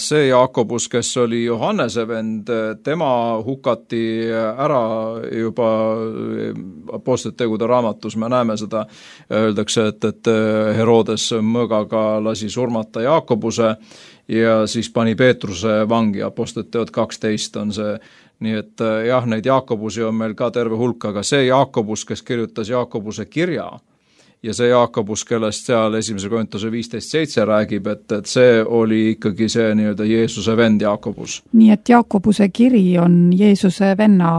C: see Jaakobus, kes oli Johannese vend, tema hukati ära juba apostlite tegude raamatus, me näeme seda, öeldakse, et Herodes mõõgaga lasi surmata Jaakobuse ja siis pani Peetruse vangi, apostlite teod 12 on see. Nii et jah, neid Jaakobusi on meil ka terve hulk, aga see Jaakobus, kes kirjutas Jaakobuse kirja, ja see Jaakobus, kellest seal 1. Korintuse 15.7 räägib, et see oli ikkagi see nii-öelda Jeesuse vend Jaakobus.
B: Nii et Jaakobuse kiri on Jeesuse venna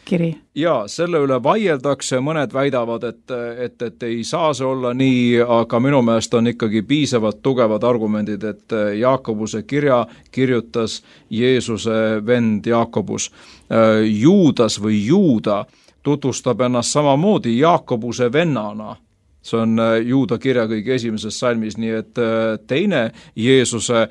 B: kiri?
C: Ja selle üle vaieldakse, mõned väidavad, et ei saa see olla nii, aga minu meelest on ikkagi piisavalt tugevad argumendid, et Jaakobuse kirja kirjutas Jeesuse vend Jaakobus. Juudas või Juuda tutvustab ennast samamoodi Jaakobuse vennana. See on Juuda kirja kõige esimeses salmis, nii et teine Jeesuse,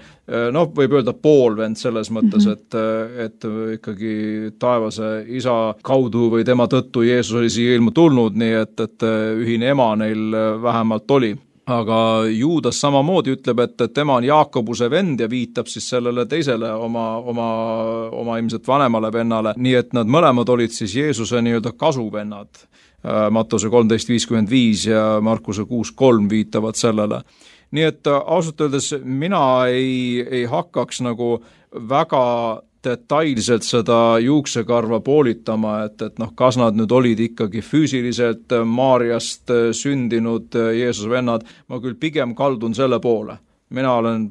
C: võib öelda poolvend selles mõttes, et ikkagi taevase isa kaudu või tema tõttu Jeesus oli siia ilma tulnud, nii et ühine ema neil vähemalt oli. Aga Juudas samamoodi ütleb, et tema on Jaakobuse vend ja viitab siis sellele teisele oma ilmselt vanemale vennale, nii et nad mõlemad olid siis Jeesuse nii-öelda kasuvennad. Mattuse 13.55 ja Markuse 6.3 viitavad sellele. Nii et ausalt öeldes mina ei hakkaks nagu väga detailselt seda juuksekarva poolitama, et kas nad nüüd olid ikkagi füüsiliselt Maarjast sündinud Jeesuse vennad, ma küll pigem kaldun selle poole. Mina olen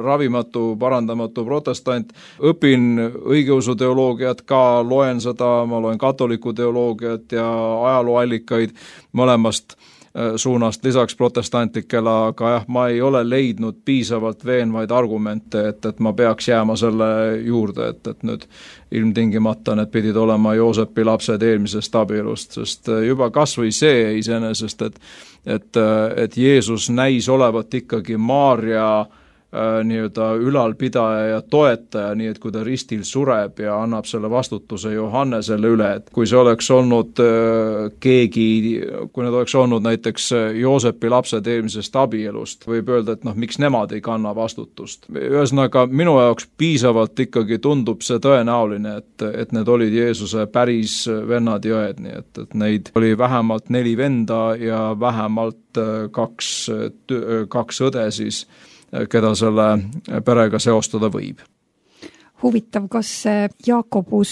C: ravimatu, parandamatu protestant, õpin õigeusu teoloogiat ka, loen seda, ma loen katoliku teoloogiat ja ajalooallikaid mõlemast suunast lisaks protestantlikele, aga jah, ma ei ole leidnud piisavalt veenvaid argumente, et ma peaks jääma selle juurde, et nüüd ilmtingimata need pidid olema Joosepi lapsed eelmisest abielust, sest juba kas või see iseenesest, et Jeesus näis olevat ikkagi Maarja nii-öelda ülalpidaja ja toetaja, nii et kui ta ristil sureb ja annab selle vastutuse Johannesele üle, et kui see oleks olnud kui need oleks olnud näiteks Joosepi lapsed eelmisest abielust, võib öelda, et miks nemad ei kanna vastutust. Ühesõnaga, minu jaoks piisavalt ikkagi tundub see tõenäoline, et need olid Jeesuse päris vennad ja õed, nii et neid oli vähemalt 4 venda ja vähemalt kaks õde siis, keda selle perega seostada võib.
B: Huvitav, kas Jaakobus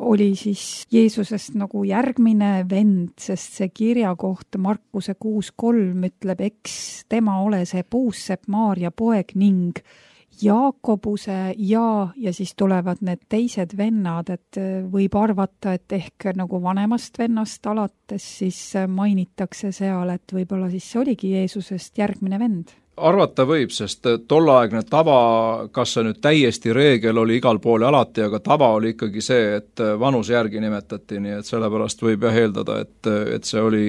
B: oli siis Jeesusest nagu järgmine vend, sest see kirja kohta Markuse 6.3 ütleb, eks tema ole see puussepp Maarja poeg ning Jaakobuse ja siis tulevad need teised vennad, et võib arvata, et ehk nagu vanemast vennast alates siis mainitakse seal, et võib-olla siis see oligi Jeesusest järgmine vend.
C: Arvata võib, sest tolleaegne tava, kas see nüüd täiesti reegel oli igal pool ja alati, aga tava oli ikkagi see, et vanuse järgi nimetati, nii et sellepärast võib eeldada, et see oli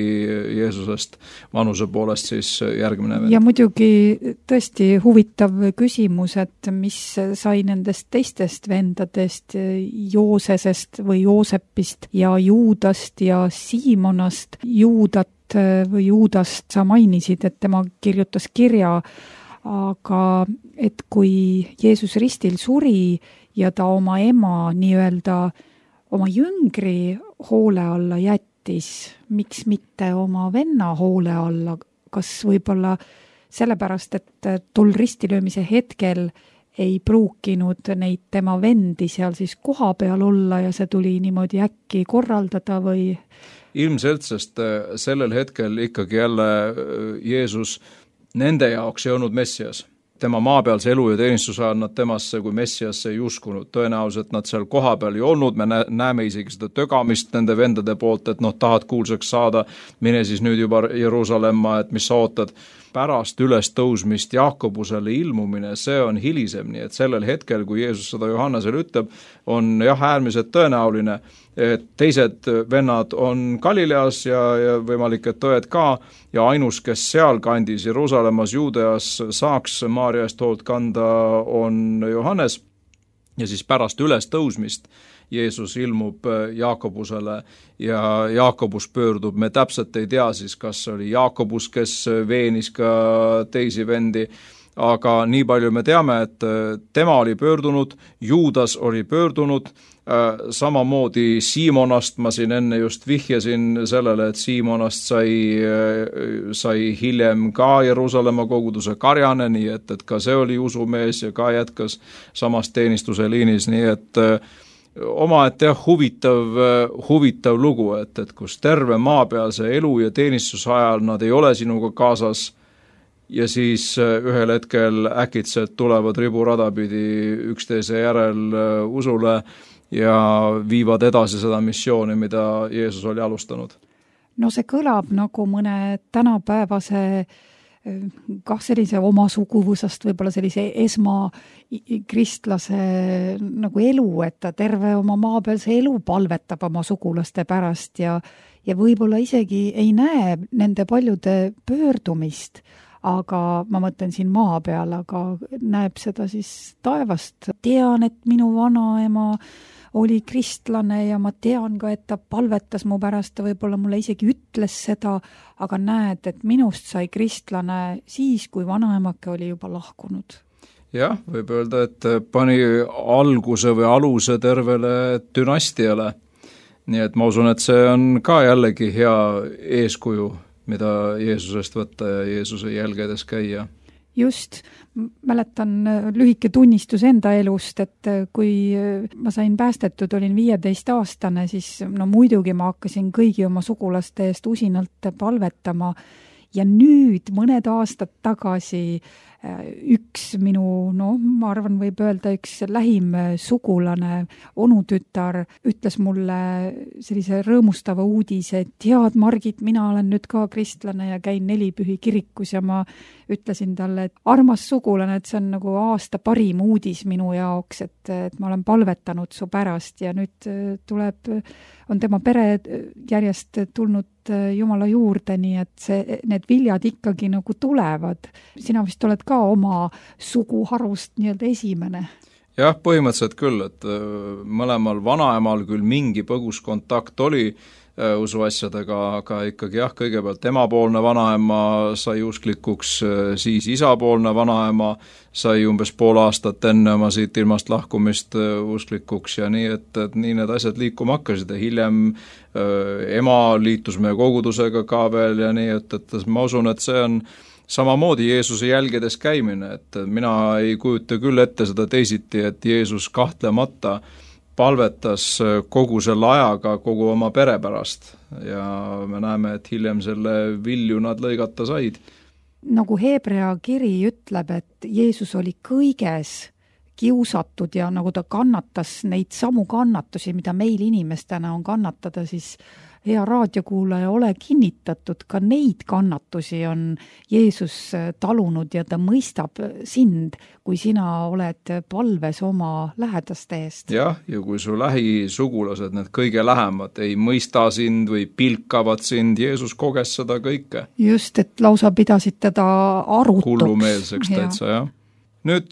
C: Jeesusest vanuse poolest siis järgmine vend.
B: Ja muidugi tõesti huvitav küsimus, et mis sai nendest teistest vendadest, Joosesest või Joosepist ja Juudast ja Siimonast. Juudast sa mainisid, et tema kirjutas kirja, aga et kui Jeesus ristil suri ja ta oma ema nii-öelda oma jüngri hoole alla jättis, miks mitte oma venna hoole alla, kas võib-olla sellepärast, et tol ristilöömise hetkel ei pruukinud neid tema vendi seal siis koha peal olla ja see tuli niimoodi äkki korraldada või?
C: Ilmselt, sest sellel hetkel ikkagi jälle Jeesus nende jaoks ei olnud Messias. Tema maapealse elu ja teenistuse ajal nad temasse kui Messiasse ei uskunud. Tõenäoliselt nad seal koha peal ei olnud, me näeme isegi seda tögamist nende vendade poolt, et tahad kuulsaks saada, mine siis nüüd juba Jeruusalemma, et mis sa ootad. pärast ülestõusmist Jaakobusele ilmumine, see on hilisem, nii et sellel hetkel, kui Jeesus seda Johannesele ütleb, on äärmiselt tõenäoline, et teised vennad on Galileas ja võimalik, et õed ka, ja ainus, kes seal kandis Jeruusalemmas, Juudeas saaks Maarja eest hoolt kanda, on Johannes. Ja siis pärast ülestõusmist Jeesus ilmub Jaakobusele ja Jaakobus pöördub, me täpselt ei tea siis, kas oli Jaakobus, kes veenis ka teisi vendi, aga nii palju me teame, et tema oli pöördunud, Juudas oli pöördunud, samamoodi Siimonast, ma siin enne just vihjasin sellele, et Siimonast sai hiljem ka Jeruusalemma koguduse karjane, nii et ka see oli usumees ja ka jätkas samas teenistuse liinis, nii et omaette huvitav lugu, et kus terve maapealse elu ja teenistuse ajal nad ei ole sinuga kaasas ja siis ühel hetkel äkitselt tulevad riburada pidi üksteise järel usule ja viivad edasi seda missiooni, mida Jeesus oli alustanud.
B: No see kõlab nagu mõne tänapäevase sellise oma suguvõsast võib-olla sellise esmakristlase nagu elu, et ta terve oma maapealse elu palvetab oma sugulaste pärast ja võib-olla isegi ei näe nende paljude pöördumist, aga ma mõtlen siin maa peal, aga näeb seda siis taevast. Tean, et minu vanaema oli kristlane ja ma tean ka, et ta palvetas mu pärast, ta võib-olla mulle isegi ütles seda, aga näed, et minust sai kristlane siis, kui vanaemake oli juba lahkunud.
C: Jah, võib öelda, et pani alguse või aluse tervele dünastiale. Nii et ma usun, et see on ka jällegi hea eeskuju, mida Jeesusest võtta ja Jeesuse jälgedes käia.
B: Just, mäletan lühike tunnistus enda elust, et kui ma sain päästetud, olin 15-aastane, siis muidugi ma hakkasin kõigi oma sugulaste eest usinalt palvetama ja nüüd mõned aastad tagasi üks minu, ma arvan, võib öelda üks lähim sugulane, onutütar, ütles mulle sellise rõõmustava uudise, et tead, Margit, mina olen nüüd ka kristlane ja käin Nelipühi kirikus ja ma ütlesin talle, et armas sugulane, et see on nagu aasta parim uudis minu jaoks, et ma olen palvetanud su pärast ja nüüd on tema pere järjest tulnud Jumala juurde, nii et need viljad ikkagi nagu tulevad. Sina vist oled ka oma suguharust nii-öelda esimene.
C: Jah, põhimõtteliselt küll, et mõlemal vanaemal küll mingi põgus kontakt oli usuasjadega, aga ikkagi jah, kõigepealt emapoolne vanaema sai usklikuks, siis isapoolne vanaema sai umbes pool aastat enne oma siit ilmast lahkumist usklikuks ja nii, et nii need asjad liikuma hakkasid ja hiljem ema liitus meie kogudusega ka veel ja nii, et ma usun, et see on samamoodi Jeesuse jälgedes käimine, et mina ei kujuta küll ette seda teisiti, et Jeesus kahtlemata palvetas kogu selle ajaga kogu oma pere pärast ja me näeme, et hiljem selle vilju nad lõigata said.
B: Nagu Hebrea kiri ütleb, et Jeesus oli kõiges kiusatud ja nagu ta kannatas neid samu kannatusi, mida meil inimestena on kannatada, siis hea raadiokuulaja, ole kinnitatud, ka neid kannatusi on Jeesus talunud ja ta mõistab sind, kui sina oled palves oma lähedaste eest.
C: Jah, ja kui su lähisugulased, need kõige lähemad, ei mõista sind või pilkavad sind, Jeesus koges seda kõike.
B: Just, et lausa pidasid teda arutuks.
C: Hullumeelseks täitsa, jah. Nüüd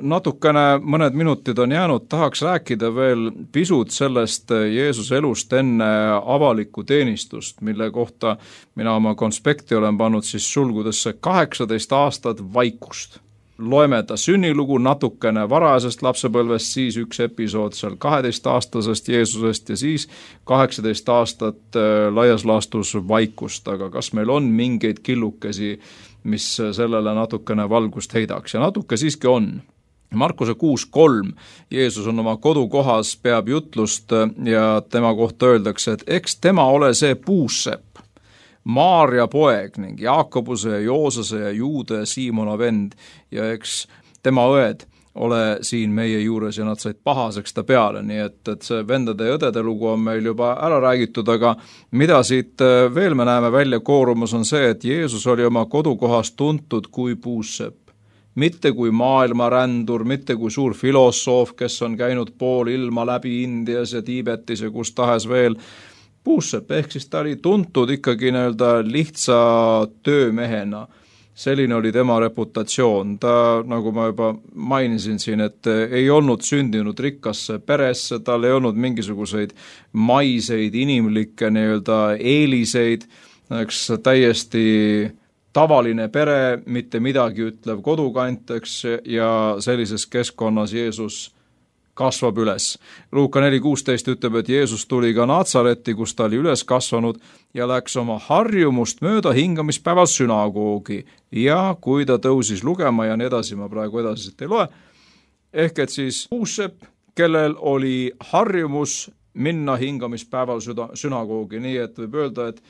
C: natukene mõned minutid on jäänud, tahaks rääkida veel pisut sellest Jeesuse elust enne avalikku teenistust, mille kohta mina oma konspekti olen pannud siis sulgudesse 18 aastat vaikust. Loeme ta sünnilugu natukene varajasest lapsepõlvest, siis üks episood seal 12-aastasest Jeesusest ja siis 18 aastat laias laastus vaikust, aga kas meil on mingeid killukesi, mis sellele natukene valgust heidaks ja natuke siiski on. Markuse 6.3, Jeesus on oma kodukohas, peab jutlust ja tema kohta öeldakse, et eks tema ole see puussepp, Maarja poeg ning Jaakobuse ja Joosese ja Juude ja Siimona vend ja eks tema õed ole siin meie juures ja nad said pahaseks ta peale, nii et see vendade ja õdede lugu on meil juba ära räägitud, aga mida siit veel me näeme välja koorumas on see, et Jeesus oli oma kodukohas tuntud kui puussepp. Mitte kui maailmarändur, mitte kui suur filosoof, kes on käinud pool ilma läbi Indias ja Tiibetis ja kus tahes veel. Puussepp, ehk siis ta oli tuntud ikkagi lihtsa töömehena. Selline oli tema reputatsioon. Ta, nagu ma juba mainisin siin, et ei olnud sündinud rikkasse peresse, tal ei olnud mingisuguseid maiseid inimlikke eeliseid, eks täiesti tavaline pere, mitte midagi ütlev kodukant, eks, ja sellises keskkonnas Jeesus kasvab üles. Luuka 4.16 ütleb, et Jeesus tuli ka Natsaretti, kus ta oli üles kasvanud ja läks oma harjumust mööda hingamispäeval sünagoogi. Ja kui ta tõusis lugema ja nii edasi, ma praegu edasi ei loe, ehk et siis puussepp, kellel oli harjumus minna hingamispäeval sünagoogi, nii et võib öelda, et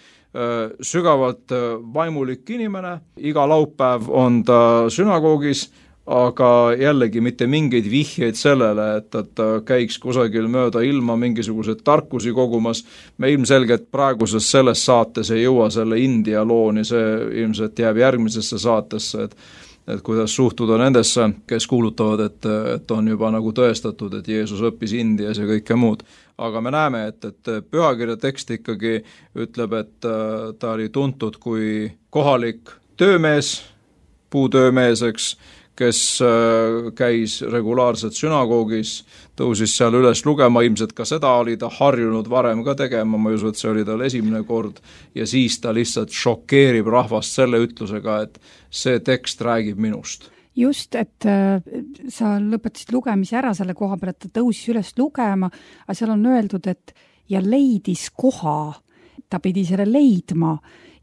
C: sügavalt vaimulik inimene, iga laupäev on ta sünagoogis, aga jällegi mitte mingeid vihjeid sellele, et ta käiks kusagil mööda ilma mingisugused tarkusi kogumas. Me ilmselgelt praeguses selles saates ei jõua selle India looni, see ilmselt jääb järgmisesse saatesse, et kuidas suhtuda nendesse, kes kuulutavad, et on juba nagu tõestatud, et Jeesus õppis Indias ja kõike muud. Aga me näeme, et pühakirja tekst ikkagi ütleb, et ta oli tuntud kui kohalik töömees, puutöömees, kes käis regulaarselt sünagoogis, tõusis seal üles lugema, ilmselt ka seda oli ta harjunud varem ka tegema, ma ei usu, et see oli tal esimene kord, ja siis ta lihtsalt šokeerib rahvast selle ütlusega, et see tekst räägib minust.
B: Just, et sa lõpetasid lugemise ära selle koha peal, et ta tõusis üles lugema, aga seal on öeldud, et ja leidis koha, ta pidi selle leidma.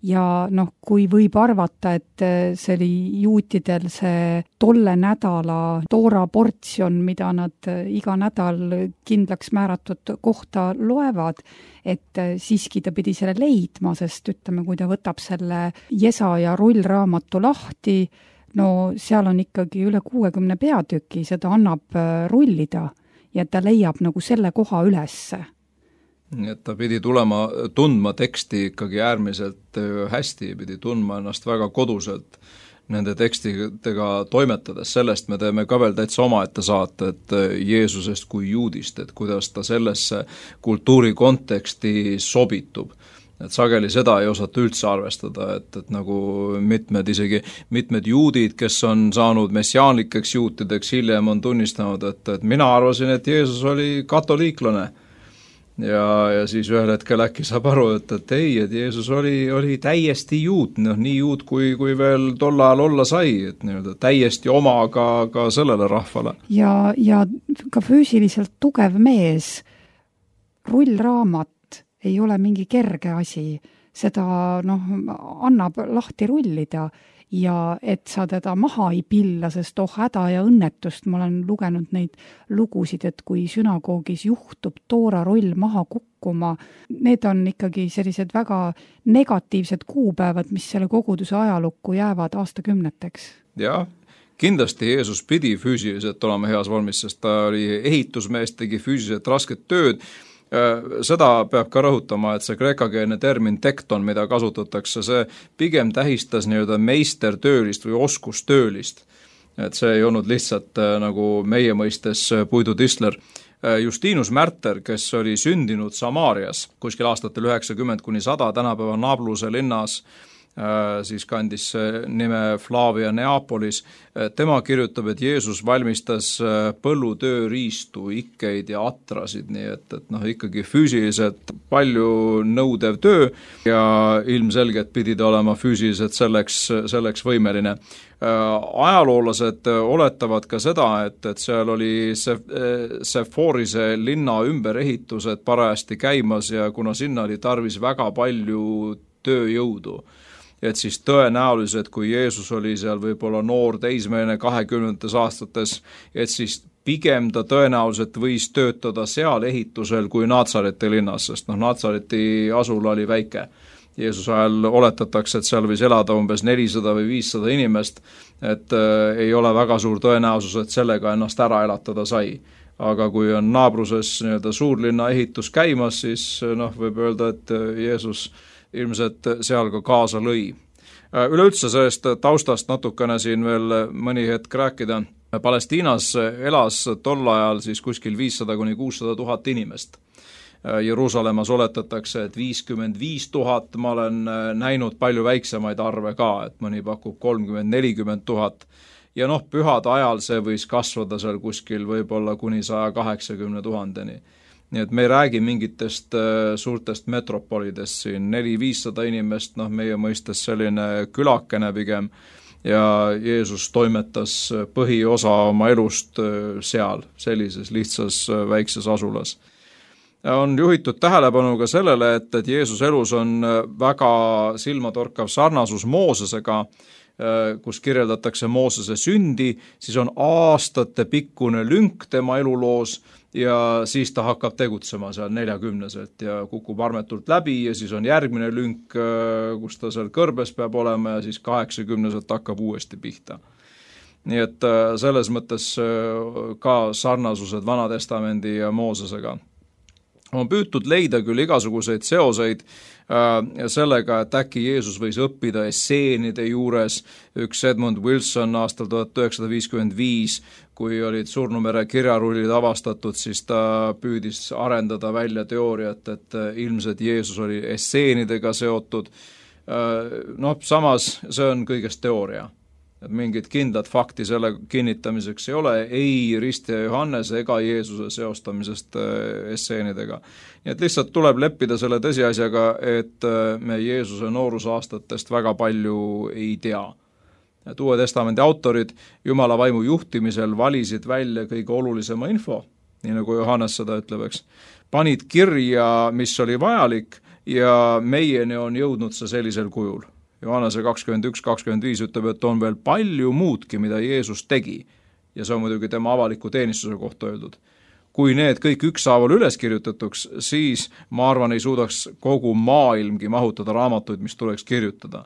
B: Ja kui võib arvata, et see oli juutidel see tolle nädala toora portsjon, mida nad iga nädal kindlaks määratud kohta loevad, et siiski ta pidi selle leidma, sest ütleme, kui ta võtab selle Jesaja rullraamatu lahti, seal on ikkagi üle 60 peatüki, seda annab rullida ja ta leiab nagu selle koha ülesse.
C: Et ta pidi tundma teksti ikkagi äärmiselt hästi, pidi tundma ennast väga koduselt nende tekstidega toimetades. Sellest me teeme ka veel täitsa omaette saate, et Jeesusest kui juudist, et kuidas ta sellesse kultuuri konteksti sobitub. Et sageli seda ei osata üldse arvestada, et nagu mitmed juudid, kes on saanud messiaanlikeks juutideks, hiljem on tunnistanud, et mina arvasin, et Jeesus oli katoliiklane. Ja siis ühel hetkel äkki saab aru, et ei, et Jeesus oli täiesti juut, nii juut kui veel tol ajal olla sai, et täiesti oma ka sellele rahvale.
B: Ja ka füüsiliselt tugev mees, rullraamat ei ole mingi kerge asi, seda annab lahti rullida. Ja et sa teda maha ei pilla, sest häda ja õnnetust, ma olen lugenud neid lugusid, et kui sünagoogis juhtub toorarull maha kukkuma, need on ikkagi sellised väga negatiivsed kuupäevad, mis selle koguduse ajalukku jäävad aastakümneteks.
C: Jah, kindlasti Jeesus pidi füüsiliselt olema heas vormis, sest ta oli ehitusmees, tegi füüsiliselt rasket tööd. Seda peab ka rõhutama, et see kreekakeelne termin tekton, mida kasutatakse, see pigem tähistas meistertöölist või oskustöölist. Et see ei olnud lihtsalt nagu meie mõistes puidutistler. Justinus Märter, kes oli sündinud Samaarias kuskil aastatel 90–100 tänapäeva Nabluse linnas, siis kandis nime Flavia Neapolis. Tema kirjutab, et Jeesus valmistas põllutööriistu, ikkeid ja atrasid, nii et ikkagi füüsiliselt palju nõudev töö ja ilmselgelt pidi ta olema füüsiliselt selleks võimeline. Ajaloolased oletavad ka seda, et seal oli Seforise linna ümberehitused parajasti käimas ja kuna sinna oli tarvis väga palju tööjõudu, et siis tõenäoliselt, kui Jeesus oli seal võib-olla noor teismeline 20. aastates, et siis pigem ta tõenäoliselt võis töötada seal ehitusel kui Natsareti linnas, sest Natsareti asula oli väike. Jeesuse ajal oletatakse, et seal võis elada umbes 400 või 500 inimest, et ei ole väga suur tõenäosus, et sellega ennast ära elatada sai. Aga kui on naabruses nii-öelda suurlinna ehitus käimas, siis võib öelda, et Jeesus ilmselt seal ka kaasa lõi. Üleüldse sellest taustast natukene siin veel mõni hetk rääkida. Palestiinas elas tol ajal siis kuskil 500 kuni 600 000 inimest. Jeruusalemmas oletatakse, et 55 000, ma olen näinud palju väiksemaid arve ka, et mõni pakub 30-40 000 ja pühade ajal see võis kasvada seal kuskil võib-olla kuni 180 000-ni. Nii et me ei räägi mingitest suurtest metropolidest siin, 400-500 inimest, meie mõistes selline külakene pigem ja Jeesus toimetas põhiosa oma elust seal, sellises lihtsas väikses asulas. On juhitud tähelepanu ka sellele, et Jeesus elus on väga silmatorkav sarnasus Moosesega, kus kirjeldatakse Moosese sündi, siis on aastate pikkune lünk tema eluloos ja siis ta hakkab tegutsema seal 40-selt ja kukub armetult läbi ja siis on järgmine lünk, kus ta seal kõrbes peab olema ja siis 80-selt hakkab uuesti pihta. Nii et selles mõttes ka sarnasused Vanatestamendi ja Moosesega. On püütud leida küll igasuguseid seoseid sellega, et äkki Jeesus võis õppida esseenide juures. Üks Edmund Wilson aastal 1955, kui olid Surnumere kirjarullid avastatud, siis ta püüdis arendada välja teooriat, et ilmselt Jeesus oli esseenidega seotud. Samas see on kõigest teooria. Et mingit kindlat fakti selle kinnitamiseks ei ole, ei Ristja Johannese ega Jeesuse seostamisest esseenidega. Nii et lihtsalt tuleb leppida selle tõsiasjaga, et me Jeesuse noorusaastatest väga palju ei tea. Et Uue Testamendi autorid Jumala vaimu juhtimisel valisid välja kõige olulisema info, nii nagu Johannes seda ütleb, eks. Panid kirja, mis oli vajalik ja meieni on jõudnud see sellisel kujul. Johannese 21-25 ütleb, et on veel palju muudki, mida Jeesus tegi ja see on muidugi tema avaliku teenistuse kohta öeldud. Kui need kõik ükshaaval üles kirjutatuks, siis ma arvan ei suudaks kogu maailmgi mahutada raamatuid, mis tuleks kirjutada.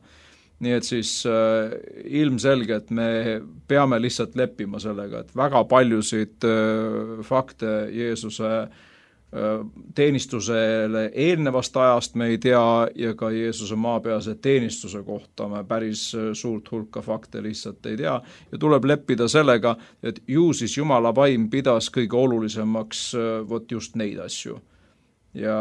C: Nii et siis ilmselge, et me peame lihtsalt leppima sellega, et väga paljusid fakte Jeesuse teenistusele eelnevast ajast me ei tea ja ka Jeesuse maapealse teenistuse kohta me päris suurt hulka fakte lihtsalt ei tea ja tuleb leppida sellega, et ju siis Jumala vaim pidas kõige olulisemaks just neid asju. Ja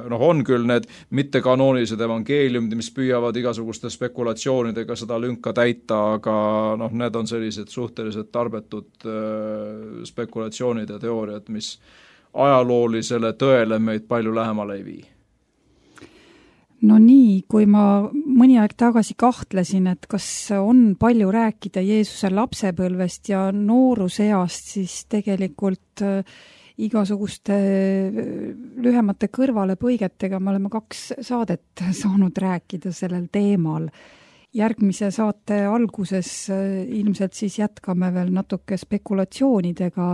C: on küll need mittekanoonilised evangeeliumid, mis püüavad igasuguste spekulatsioonidega seda lünka täita, aga need on sellised suhteliselt tarbetud spekulatsioonid ja teooriad, mis ajaloolisele tõele meid palju lähemale ei vii.
B: No nii, kui ma mõni aeg tagasi kahtlesin, et kas on palju rääkida Jeesuse lapsepõlvest ja nooruseast, siis tegelikult igasuguste lühemate kõrvalepõigetega me oleme 2 saadet saanud rääkida sellel teemal. Järgmise saate alguses ilmselt siis jätkame veel natuke spekulatsioonidega,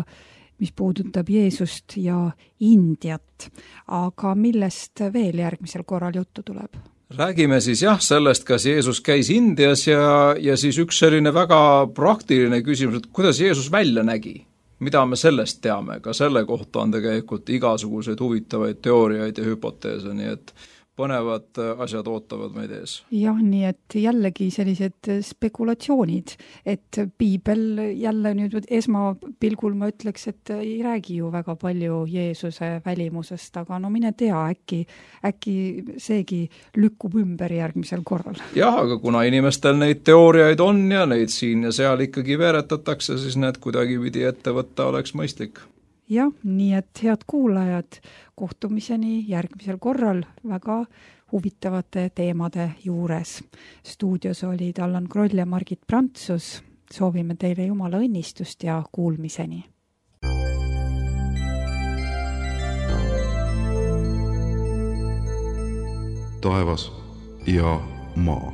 B: mis puudutab Jeesust ja Indiat. Aga millest veel järgmisel korral juttu tuleb?
C: Räägime siis sellest, kas Jeesus käis Indias ja siis üks selline väga praktiline küsimus, et kuidas Jeesus välja nägi? Mida me sellest teame? Ka selle kohta on tegelikult igasuguseid huvitavaid teooriaid ja hüpoteese, nii et põnevad asjad ootavad meid ees.
B: Jah, nii et jällegi sellised spekulatsioonid, et piibel jälle nüüd esmapilgul ma ütleks, et ei räägi ju väga palju Jeesuse välimusest, aga mine tea, äkki seegi lükkub ümber järgmisel korral.
C: Jah, aga kuna inimestel neid teooriaid on ja neid siin ja seal ikkagi veeretatakse, siis need kuidagi pidi ette võtta oleks mõistlik.
B: Jah, nii et head kuulajad, kohtumiseni järgmisel korral väga huvitavate teemade juures. Stuudios olid Allan Kroll ja Margit Prantsus. Soovime teile Jumala õnnistust ja kuulmiseni.
A: Taevas ja maa.